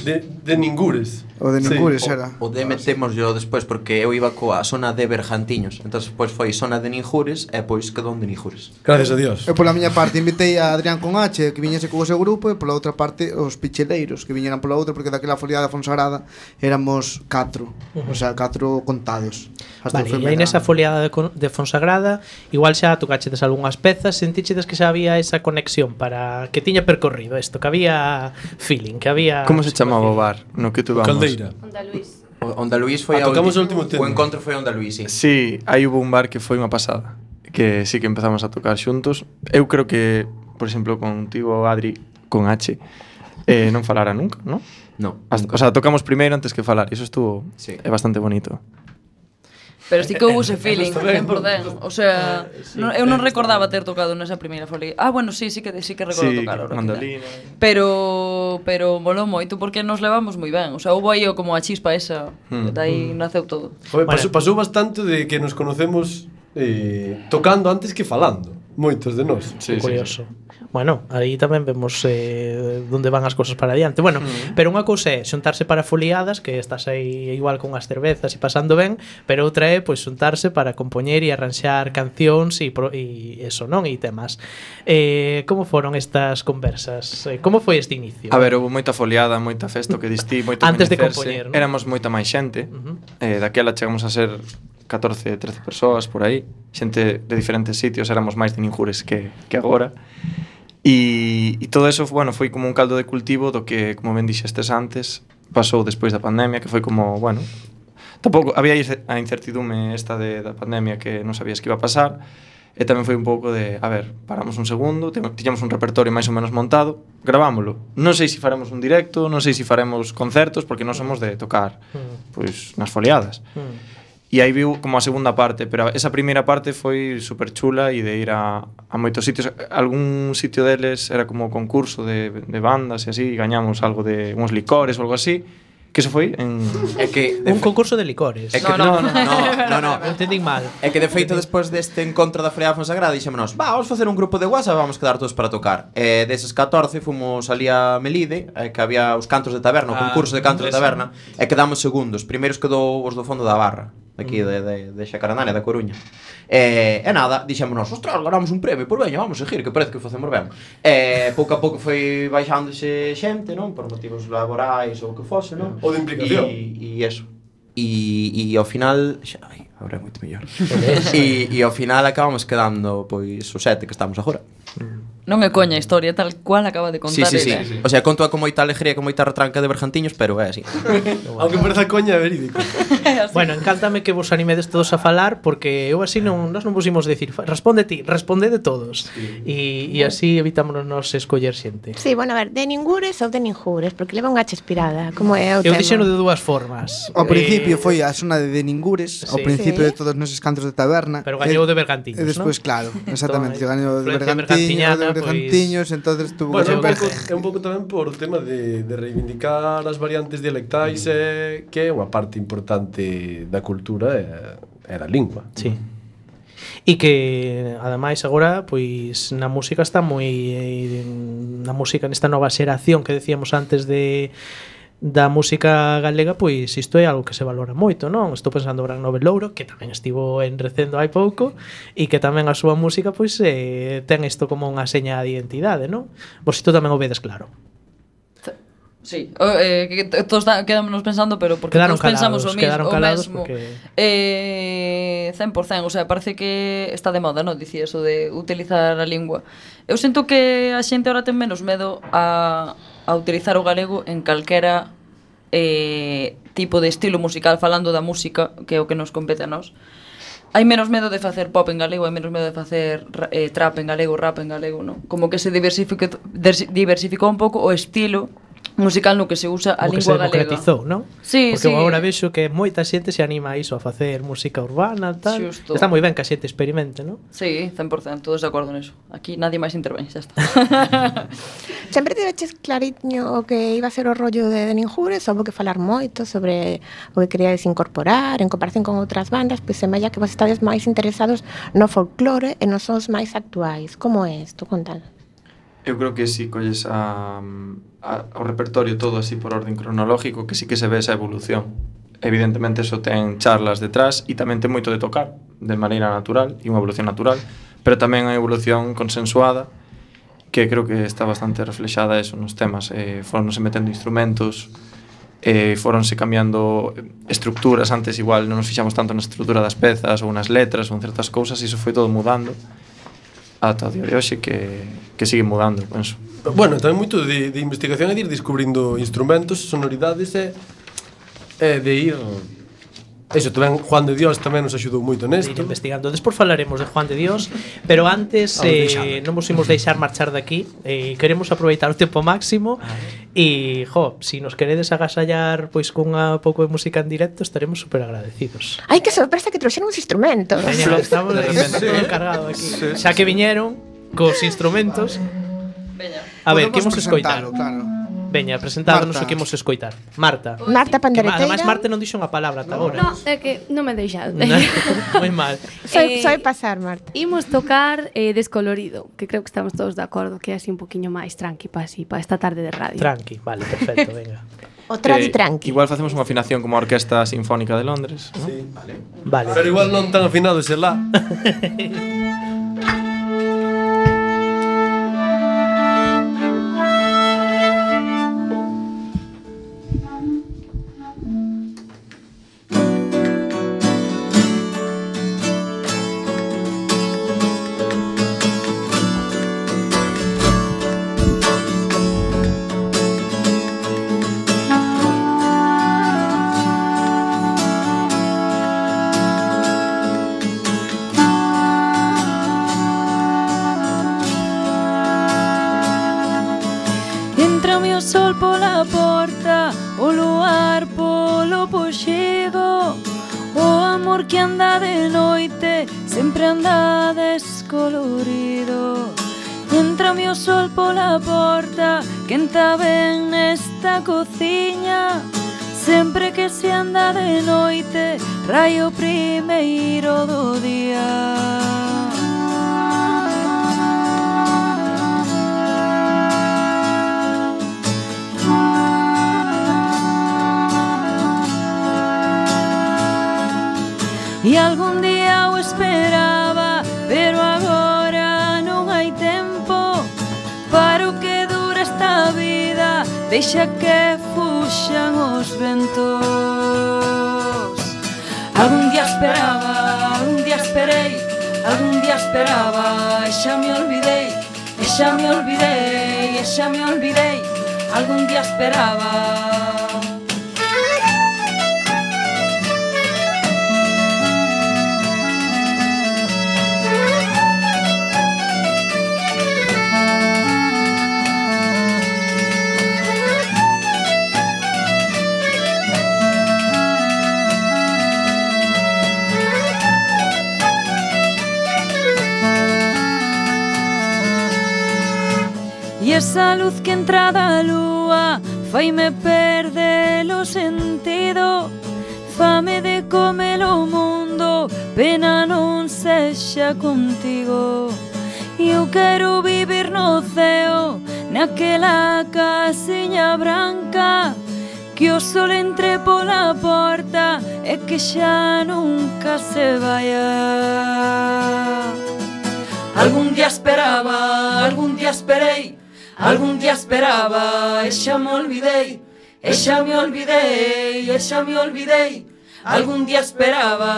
De, de Ningures. O de Ningures O- era. O de metemos yo despois porque eu iba coa zona de Bergantiños. Entón, pois foi zona de Ninjures e pois quedou de Ninjures. Gracias a Dios. Eu pola miña parte invitei a Adrián con H, que viñese co seu grupo, e pola outra parte os picheleiros, que viñeran pola outra, porque daquela foliada Fonsagrada éramos catro, o sea, catro contados. Hasta Vale, o e aí Femera. nesa foliada de, con- de Fonsagrada, igual xa tocachedes algunhas pezas, sentichedes que xa había esa conexión para que tiña percorrido isto, que había feeling, que había... Como se chamaba o bar no que tu vamos? Caldeira. Onda Luis. O- Onda Luís foi Ah, a tocamos ulti- o último tema. O encontro foi Onda Luís, sí. Sí, aí hubo un bar que foi unha pasada, que sí que empezamos a tocar xuntos. Eu creo que, por exemplo, contigo, Adri, con H, eh, non falara nunca, non? No, Hasta, o sea, tocamos primeiro antes que falar, e iso estuvo Sí. é bastante bonito. Pero sí que houve ese feeling, Está ben, cen por cen. O sea, non, eu non recordaba ter tocado nesa primeira folia. Ah, bueno, sí, sí que sí que recordo Sí, tocar ahora. mandolina. Pero pero molou moito porque nos levamos moi ben. O sea, houve aí o como a chispa esa, Mm. dai naceu todo. Joder, Bueno. pasou, pasou bastante de que nos conocemos eh, tocando antes que falando. Moitos de nós. Sí, sí, Curioso. Bueno, aí tamén vemos eh, onde van as cousas para adiante. Bueno, Mm. pero unha cousa é xuntarse para foliadas, que estás aí igual con as cervezas e pasando ben, pero outra é pois xuntarse para compoñer e arranxar cancións e, pro, e eso, non? E temas. Eh, como foron estas conversas? Eh, como foi este inicio? A ver, houve moita foliada, moita festa, o que distí, moito Antes de coñecerse. compoñer, non? Éramos moita máis xente. Ujú. Eh, daquela chegamos a ser catorce, trece persoas por aí, xente de diferentes sitios, éramos máis de Ninjures que, que agora. E, e todo eso, bueno, foi como un caldo de cultivo do que, como ben dixestes antes, pasou despois da pandemia, que foi como, bueno, tampouco había a incertidume esta de, da pandemia que non sabías que iba a pasar, e tamén foi un pouco de, a ver, paramos un segundo, te- tiñamos un repertorio máis ou menos montado, gravámoslo. Non sei se faremos un directo, non sei se faremos concertos, porque non somos de tocar Mm. pois nas foliadas. Mm. E aí viu como a segunda parte, pero esa primeira parte foi super chula e de ir a, a moitos sitios. Algún sitio deles era como concurso de, de bandas e así, e gañamos algo de uns licores ou algo así. Que eso foi en... É que Un concurso de licores. É que No, no. no, no, no, no. Non entendín mal. É que de feito despois deste encontro da Foliada Fonsagrada dixémonos, va, vamos facer un grupo de WhatsApp, vamos quedar todos para tocar. E deses catorce fomos ali a Melide, eh, que había os cantos de taberna, o Ah, concurso de cantos de eso. taberna, e quedamos segundos. Primeiros quedou os do fondo da barra, aquí de, de, de Xacaranaria, da Coruña. E, e nada, dixémonos, ostras, ganamos un premio, pois veña, vamos seguir, que parece que o facemos ben. E pouco a pouco foi baixándose xente, non? Por motivos laborais ou o que fose, non? Ou de implicación. E, e eso. E, e ao final, xa, ai, agora é moito mellor. e, e ao final acabamos quedando pois os sete que estamos agora. Non é coña a historia tal cual acaba de Sí, contar sí, sí, ele. O sea, conto con moita alegría, con moita retranca de Bergantiños, pero é así. Aunque pareza coña, é verídico. Bueno, encántame que vos animedes todos a falar, porque eu así non, nos non pusimos decir "Fa- responde ti, responde de todos e, e así evitámonos nos escoller xente. Sí, bueno, a ver, de Ningures ou de Ninjures, porque leva unha H inspirada, como é o Eu tema. dixeno de dúas formas. Ao principio Eh, foi a zona de Ningures, ao sí. principio Sí. de todos neses cantos de taberna. Pero gañou E- de Bergantiños, E despois, ¿no? claro, exactamente, Entón, gañou de influencia Bergantiños, bergantiñana, de Bergantiños, entonces tuvo Bueno, é que un, ser pouco, é un pouco tamén por o tema de, de reivindicar as variantes dialectais eh, que é unha parte importante da cultura e, e da lingua. Sí. E que ademais agora pois na música está moi eh, na música nesta nova xeración que decíamos antes de da música galega, pois isto é algo que se valora moito, non? Estou pensando en Gran Nobel Louro, que tamén estivo en Recendo hai pouco, e que tamén a súa música pois eh, ten isto como unha seña de identidade, non? Vos isto tamén o vedes claro. Sí, o, eh, que todos quedámonos pensando, pero porque quedaron todos pensamos calados, o mismo, o mesmo. Porque... Eh, cen por cen, o sea, parece que está de moda, non? Dicía eso de utilizar a lingua. Eu sinto que a xente ahora ten menos medo a, a utilizar o galego en calquera eh, tipo de estilo musical, falando da música, que é o que nos compete a nós. Hai menos medo de facer pop en galego, hai menos medo de facer eh, trap en galego, rap en galego, non? Como que se diversificou, diversificou un pouco o estilo musical no que se usa a como lingua galega. Que se democratizou, non? Sí, porque sí. agora vexo que moita xente se anima a iso, a facer música urbana, tal. Xusto. Está moi ben que a xente experimente, non? Sí, cen por cen, todos de acordo niso. Aquí nadie máis intervén, xa está. Sempre tiveches clariño o que iba a ser o rollo de Ninjures, houve que falar moito sobre o que queríades incorporar en comparación con outras bandas, pois semella que vos estades máis interesados no folclore e nos sons máis actuais. Como é isto? Contad. Eu creo que si colles a, a, o repertorio todo así por orden cronológico, que sí que se ve esa evolución. Evidentemente eso ten charlas detrás e tamén ten moito de tocar de maneira natural e unha evolución natural, pero tamén hai evolución consensuada que creo que está bastante reflexada eso nos temas. Eh, foronse metendo instrumentos, eh, foronse cambiando estructuras. Antes igual non nos fixamos tanto na estructura das pezas ou nas letras ou en certas cousas, e iso foi todo mudando ata o día de hoxe que, que sigue mudando, penso. Bueno, tamén moito de, de investigación é de ir descubrindo instrumentos, sonoridades e, e de ir... Eso, tamén Juan de Dios tamén nos axudou moito nesto. De ir investigando. Despois falaremos de Juan de Dios, pero antes eh, non vos imos deixar marchar daqui. Eh, queremos aproveitar o tempo máximo e, jo, si nos queredes agasallar pois con un pouco de música en directo, estaremos super agradecidos. Ai, que sorpresa que trouxeron os instrumentos. Veña, estamos de repente todo encargado aquí. Sí, xa que viñeron cos instrumentos. Veña. A ver, que imos escoitar? Claro. Veña, presentámonos o que imos escoitar. Marta. Marta Pandereteira. Ademais, Marta non dixo unha palabra ata agora. No, é que non me deixade. Moi mal. Soy, Eh, soy pasar, Marta. Imos tocar eh, Descolorido, que creo que estamos todos de acordo, que é así un poquinho máis tranqui para así, para esta tarde de radio. Tranqui, vale, perfecto, venga. O tradi Eh, tranqui. Igual facemos unha afinación como a Orquesta Sinfónica de Londres, ¿no? Sí. Vale. Vale. Pero igual non tan afinado ese lá. Entrame o sol pola porta, o luar polo poxigo, o amor que anda de noite sempre anda descolorido. Entrame o sol pola porta, quenta ben nesta cociña, sempre que se anda de noite, raio primeiro do día. E algún día o esperaba, pero agora non hai tempo para o que dura esta vida, deixa que fuxan os ventos. Algún día esperaba, algún día esperei, algún día esperaba, e xa me olvidei, e xa me olvidei, e xa me olvidei, algún día esperaba. E esa luz que entra da lúa faime perder o sentido, fame de comer o mundo, pena non sexa contigo. Eu quero vivir no ceo, naquela casiña branca que o sol entre pola porta e que xa nunca se vaya. Algún día esperaba, algún día esperei, algún día esperaba e xa me olvidei, e xa me olvidei, e xa me olvidei. Algún día esperaba,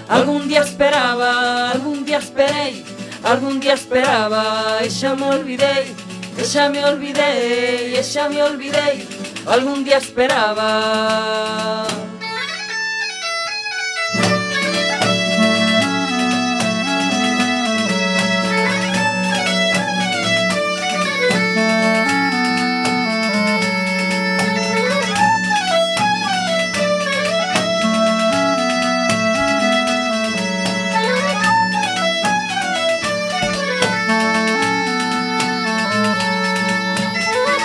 algún día esperaba, algún día esperei, algún día esperaba e xa me olvidei, e xa me olvidei, e xa me olvidei. Algún día esperaba.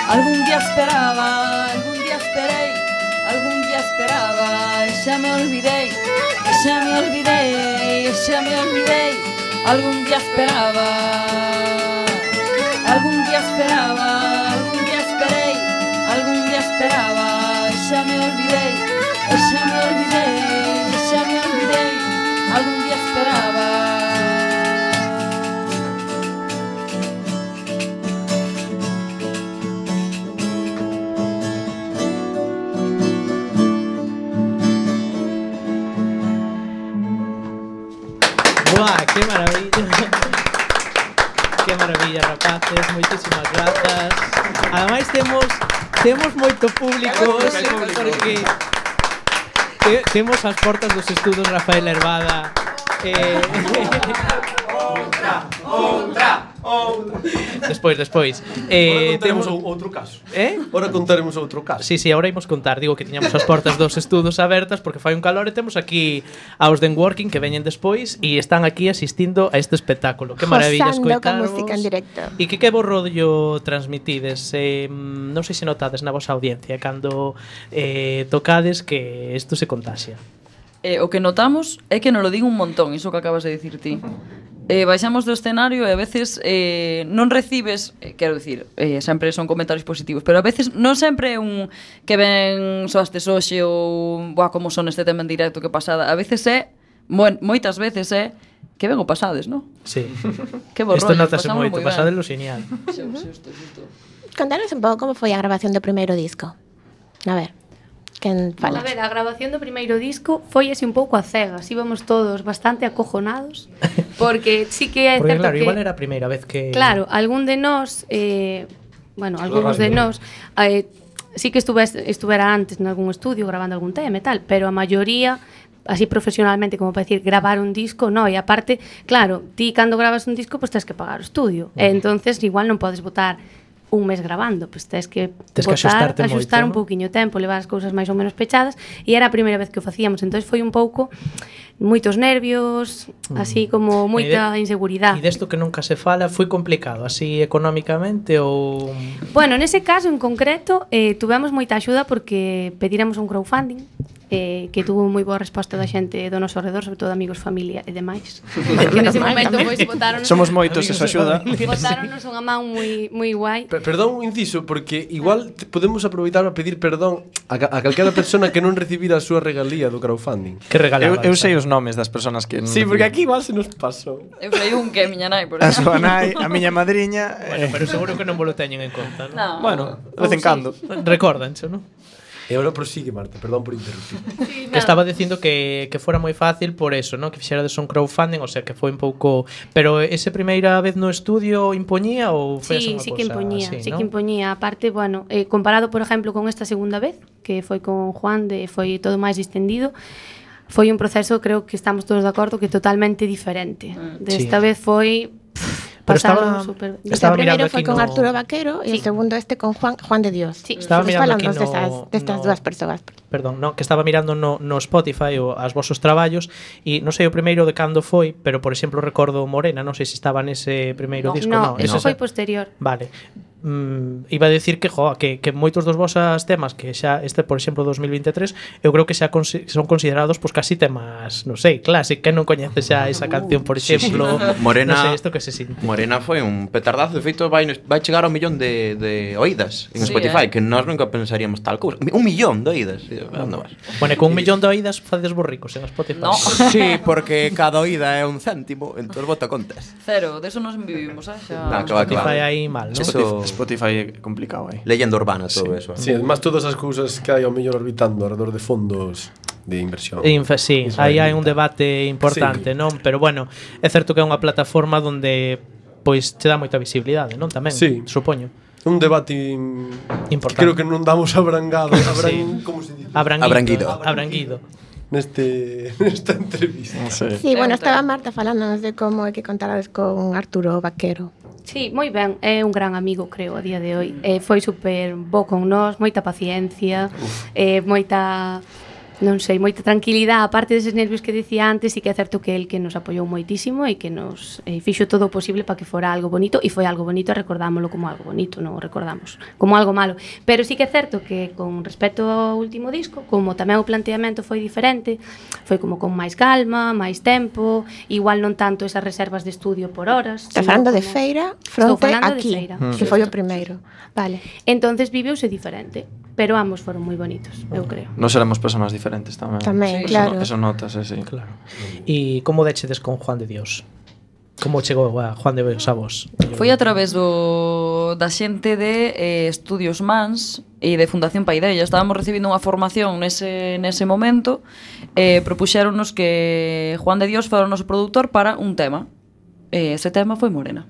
Algún día esperaba, algún día esperei, algún día esperaba, e xa me olvidei, e xa me olvidei, e xa me olvidei. Algún día esperaba, algún día esperaba, algún día esperei, algún día esperaba, e xa me olvidei, e xa me olvidei, e xa me olvidei. Algún día esperaba. ¡Buah, qué maravilla! ¡Qué maravilla, rapaces! Moitísimas grazas. Ademais temos temos moito público hoxe porque te, temos as portas dos estudos Rafael Hervada. Eh, Outra, outra, outra. Despois, despois. Eh, temos temos outro caso. Eh? Ora contaremos outro caso. Sí, sí, agora imos contar. Digo que tiñamos as portas dos estudos abertas porque fai un calor e temos aquí aos de Working que veñen despois e están aquí asistindo a este espectáculo. Que maravilla escoitarvos. Con música en directo. E que que vos rollo transmitides? Eh, non sei se notades na vosa audiencia cando eh, tocades que isto se contaxia. Eh, o que notamos é que nos lo digo un montón, iso que acabas de dicir ti. Eh, baixamos do escenario e a veces eh, non recibes, eh, quero dicir, eh, sempre son comentarios positivos, pero a veces non sempre é un que ven soastes hoxe ou boa, como son este tema en directo que pasada. A veces é, mo, moitas veces é que ben o pasades, non? Sí. Que bo Isto rollo, notase pasamos moito, moi ben. pasadelo genial. Xusto, xusto, xusto. Contanos un pouco como foi a grabación do primeiro disco. A ver, quen fala? A ver, a grabación do primeiro disco foi así un pouco a cegas. Íbamos todos bastante acojonados porque sí que é Porque certo claro, que igual era a primeira vez que... Claro, algún de nós eh, bueno, algúns de nós eh, sí que estuve, estuvera antes en algún estudio grabando algún tema e tal, pero a maioría así profesionalmente, como para decir, gravar un disco, no, e aparte, claro, ti cando grabas un disco, pois pues, tens que pagar o estudio, e entonces igual non podes botar un mes grabando, pois pues, tens que Tes que botar, axustarte axustar moito, un ¿no? pouquiño tempo, levar as cousas máis ou menos pechadas, e era a primeira vez que o facíamos, entonces foi un pouco moitos nervios, así como moita E de- inseguridade. E desto que nunca se fala, foi complicado, así económicamente ou... Bueno, nese caso en concreto eh, tuvemos moita axuda porque pediramos un crowdfunding eh, que tuvo moi boa resposta da xente do noso alrededor, sobre todo amigos, familia e demais. Que nese momento pois botaron Somos moitos, eso axuda. botaronnos unha man moi moi guai. Per- Perdón un inciso, porque igual te- podemos aproveitar para pedir perdón a, ca- a calquera persona que non recibira a súa regalía do crowdfunding. Que regalaba? Eu, eu sei os nomes das persoas que non Sí, porque reciben. aquí igual se nos pasou. Eu sei un que é miña nai, por A exemplo. súa nai, a miña madriña. Bueno, pero seguro que non vos lo teñen en conta, ¿no? No. Bueno, de vez en cando. Recórdancho, ¿no? E agora prosigue, Marta, perdón por interrumpir. Que estaba dicindo que, que fora moi fácil por eso, ¿no? Que fixerades un crowdfunding, o sea, que foi un pouco... Pero ese primeira vez no estudio impoñía ou foi Sí, esa unha sí que cousa impoñía, así, sí ¿no? que impoñía. Aparte, bueno, eh, comparado, por exemplo, con esta segunda vez, que foi con Juan, de foi todo máis distendido, foi un proceso, creo que estamos todos de acordo, que totalmente diferente. Desta Sí. vez foi... pff, Pero pasalo estaba- super... estaba O primeiro mirando foi aquí con no- Arturo Vaquero e o Sí. segundo este con Juan Juan de Dios. Sí. Estaba Pues mirando aquí falamos no- destas, destas no- dúas persoas. Perdón, no, que estaba mirando no, no Spotify o as vosos traballos e non sei o primeiro de cando foi, pero por exemplo recordo Morena, non sei se estaba nese primeiro No, disco, no, no, eso ese foi xa- posterior. Vale. mm, iba a decir que, jo, que, que moitos dos vosas temas que xa, este, por exemplo, dos mil vinte e tres, eu creo que xa consi son considerados pues, casi temas, non sei, clásicos, que non coñece xa esa canción, por exemplo, sí, sí. Morena, non sei, isto que se sinte. Morena foi un petardazo, de feito vai, vai chegar ao millón de, de oídas en Sí, Spotify, eh. que nós nunca pensaríamos tal cousa. Un millón de oídas. Onde vas? Bueno, con un millón de oídas facedes vos ricos en Spotify. No. Sí, porque cada oída é un céntimo, entón bota contas. Cero, de eso nos vivimos, eh? Xa... No, que va, que va. Spotify aí mal, non? Eso- Spotify é complicado aí. Leyenda urbana, todo eso. Sí, además todas as cousas que hai ao mellor orbitando alrededor de fondos de inversión. Infa, sí, aí hai un debate importante, Sí. non? Pero bueno, é certo que é unha plataforma onde pois te dá moita visibilidade, non? Tamén, Sí. supoño. Un debate Importante. Creo que non damos abrangado, abran, Sí. como se dice? Abranguido. Abranguido. Abranguido. Neste nesta entrevista. Non sei. Sí, bueno, É un estaba tema. Marta falándonos de como é que contarades con Arturo Vaquero. Sí, moi ben, é un gran amigo, creo, a día de hoy. Eh, foi super bo con nós, moita paciencia, eh, moita, non sei, moita tranquilidade, aparte deses nervios que dicía antes, e que é certo que el que nos apoiou moitísimo e que nos eh, fixo todo o posible para que fora algo bonito, e foi algo bonito, recordámoslo como algo bonito, non o recordamos como algo malo. Pero sí que é certo que con respecto ao último disco, como tamén o planteamento foi diferente, foi como con máis calma, máis tempo, igual non tanto esas reservas de estudio por horas. Estás sino falando de como- Feira Estou fronte falando aquí, de Feira. que foi o primeiro. Vale. Entonces viveuse diferente, pero ambos foron moi bonitos, eu creo. Nos éramos personas diferentes tamén. Tamén, Sí. claro. Eso, no, eso notas, eh, sí. Claro. E como dechedes con Juan de Dios? Como chegou a Juan de Dios a vos? Foi a través do, da xente de eh, Estudios Mans e de Fundación Paideia. Estábamos recibindo unha formación nese, nese momento e eh, propuxéronos que Juan de Dios fora o noso produtor para un tema. E ese tema foi Morena.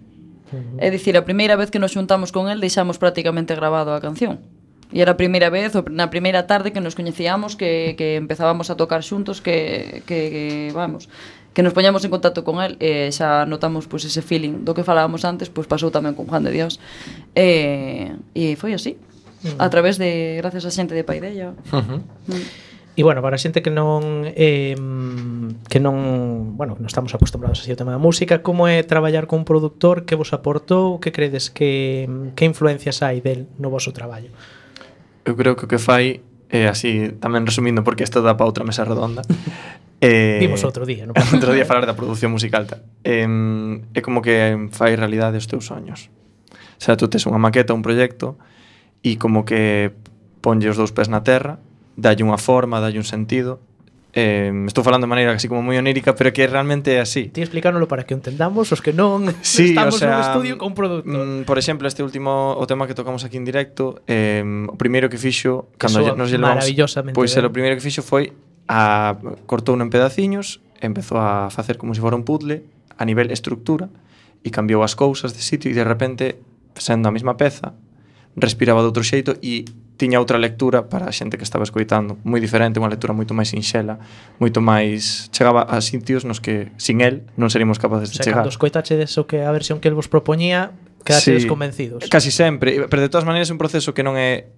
É dicir, a primeira vez que nos xuntamos con el deixamos prácticamente grabado a canción. E era a primeira vez, ou na primeira tarde que nos coñecíamos, que, que empezábamos a tocar xuntos, que, que, que vamos, que nos poñamos en contacto con el e xa notamos pois, ese feeling do que falábamos antes, pois pasou tamén con Juan de Dios. E, e foi así, a través de, gracias a xente de Paideia. Uh-huh. Mm. E bueno, para a xente que non eh, que non, bueno, non estamos acostumbrados así ao tema da música, como é traballar con un produtor, que vos aportou, que credes que que influencias hai del no voso traballo? Eu creo que o que fai é así, tamén resumindo porque isto dá para outra mesa redonda. eh, Vimos outro día, non? outro día falar da produción musical tal. Eh, é como que fai realidade os teus soños. O sea, tú tes unha maqueta, un proxecto e como que ponlle os dous pés na terra, dalle unha forma, dalle un sentido. Eh, estou falando de maneira así como moi onírica, pero que realmente é así. Ti explícanos para que o entendamos os que non Sí, estamos o sea, nun estudio con un productor. Mm, por exemplo, este último o tema que tocamos aquí en directo, eh, o primeiro que fixo cando Eso, nos llevamos, maravillosamente pois ben. o primeiro que fixo foi a cortou en pedaciños, empezou a facer como se fora un puzzle a nivel estructura e cambiou as cousas de sitio e de repente, sendo a mesma peza, respiraba de outro xeito e tiña outra lectura para a xente que estaba escoitando, moi diferente, unha lectura moito máis sinxela, moito máis chegaba a sitios nos que sin el non seríamos capaces O de sea, chegar. cando escoitachedes o que a versión que el vos propoñía, quedachedes Sí, convencidos. Casi sempre, pero de todas maneiras é un proceso que non é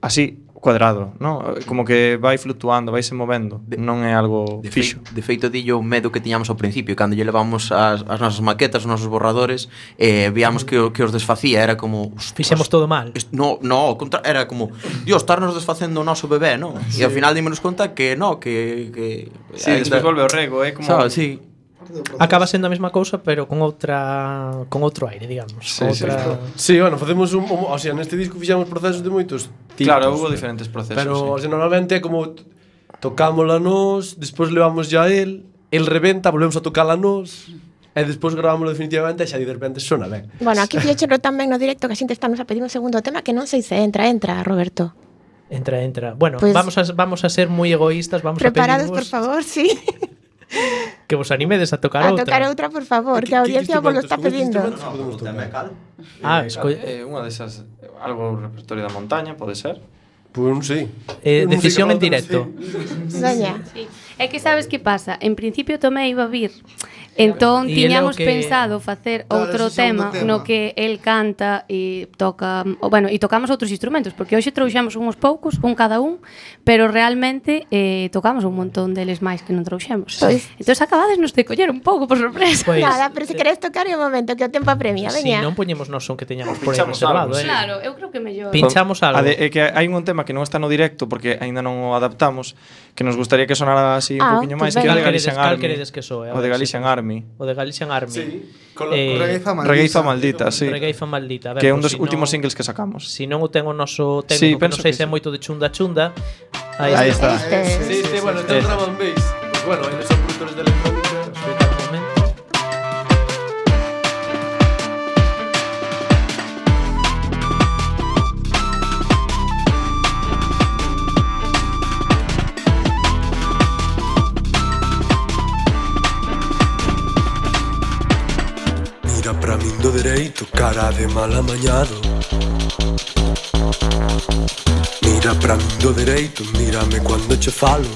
así cuadrado, ¿no? Como que vai fluctuando, vai se movendo, non é algo De, fixo. fei, de feito, dillo o medo que tiñamos ao principio, cando lle levamos as, as nosas maquetas, os nosos borradores, eh, víamos que, o- que os desfacía, era como... Fixemos todo mal. est- No, no, ao contra, era como, Dios, estarnos desfacendo o noso bebé, non? E ao final dimos conta que no, que... que Sí, despois volve ao rego, é como... Sabes, sí. Acaba sendo a mesma cousa, pero con outra con outro aire, digamos. Sí, con sí, outra... Sí, bueno, facemos un, un o sea, neste disco fixamos procesos de moitos tipos. Claro, hubo diferentes procesos, Pero, sí. o sea, normalmente é como t- tocámola nós, despois levamos ya a él, el reventa, volvemos a tocala nós, e despois gravámoslo definitivamente e xa de repente sona ben. Bueno, aquí fíxero tamén no directo que a xente está nos a pedir un segundo tema que non sei se entra, entra, Roberto. Entra, entra. Bueno, Pues- vamos a vamos a ser moi egoístas, vamos Preparados, a por pedirvos favor, sí. que vos animedes a tocar A outra. tocar outra, por favor, que a audiencia vos lo está pedindo. Ah, esco... eh, unha desas, algo repertorio da montaña, pode ser? Pois non sei. eh, Non sei decisión que en outra, directo. Soña. Sí. É que sabes que pasa? En principio Tomé iba a vir Entón, E ele é o tiñamos que- pensado facer Claro, outro ese segundo tema, tema. no que el canta e toca, o, bueno, e tocamos outros instrumentos, porque hoxe trouxemos uns poucos, un cada un, pero realmente eh, tocamos un montón deles máis que non trouxemos. Pois. Entón, acabades nos de coller un pouco, por sorpresa. Pois, Nada, pero se queres tocar é o momento que o tempo apremia, si veña. non poñemos nos son que teñamos por aí Pinchamos reservado, algo, eh. Claro, eu creo que mellor. Pinchamos algo. A de, é que hai un tema que non está no directo porque aínda non o adaptamos, que nos gustaría que sonara así un Ah, poquinho pues máis, que é o de Cal Galician queredes- cal Army. queredes que soe? A O de ver, Galician sí. Army. O de Galician Army. Sí, con la- Eh, Regueifa maldita. Regueifa maldita, sí. Regueifa maldita. A ver, Que é un pois dos si últimos non- singles que sacamos. Si non o ten o noso Sí, técnico, que penso non sei que se é sí. moito de chunda chunda. Aí, Aí está. está. Este. Sí, sí, bueno, ten sí. drum and bass. Pues bueno, eles son productores de electrónica. Escoita un momento. Mira pra min do dereito, cara de mal amañado. Mira pra min do dereito, mírame cuando che falo.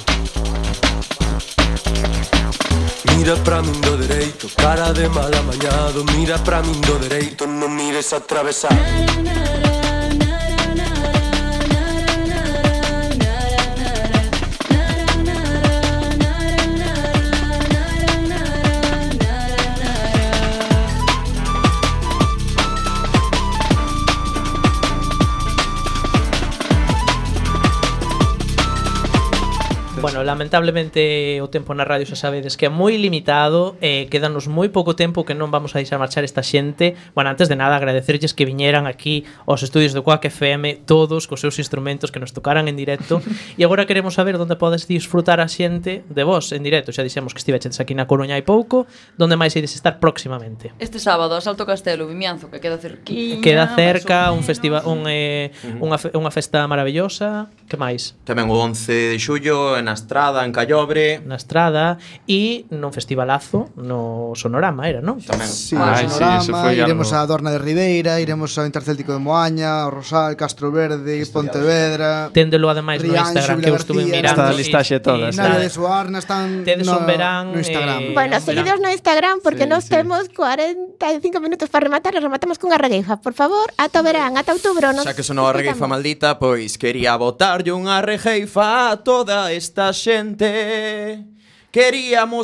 Mira pra min do dereito, cara de mal amañado. Mira pra min do dereito, non mires atravesado. Bueno, lamentablemente o tempo na radio xa sabedes que é moi limitado, eh, quedanos moi pouco tempo que non vamos a deixar marchar esta xente. Bueno, antes de nada agradecerlles que viñeran aquí aos estudios do Quack F M todos cos seus instrumentos que nos tocaran en directo. E agora queremos saber onde podes disfrutar a xente de vos en directo. Xa dixemos que estiveches aquí na Coruña hai pouco, onde máis ides estar próximamente. Este sábado a Salto Castelo, Vimianzo, que queda cerquiña. Queda máis cerca ou un menos. festival, un, eh, unha, fe, unha festa maravillosa. Que máis? Tamén o once de xullo en Astrada, en Callobre. Na Estrada e nun festivalazo no Sonorama era, non? Tamén. Sí, Ai, o sí, Sonorama, eso foi iremos algo- a Dorna de Ribeira, iremos ao Intercéltico de Moaña, ao Rosal, Castro Verde, Pontevedra. Téndelo ademais no Rianxo, Instagram que eu estuve Vilagarcía, mirando. Está a listaxe e- toda, e está. está- Navia de Suarna están Tedes no, un verán, no Instagram. eh, Bueno, verán. seguidos no Instagram porque Sí, nos sí. temos cuarenta e cinco minutos para rematar e rematamos cunha regueifa. Por favor, ata o verán, ata outubro. Nos Xa que sonou a regueifa maldita, pois quería botarlle unha regueifa a toda esta xente. Queríamos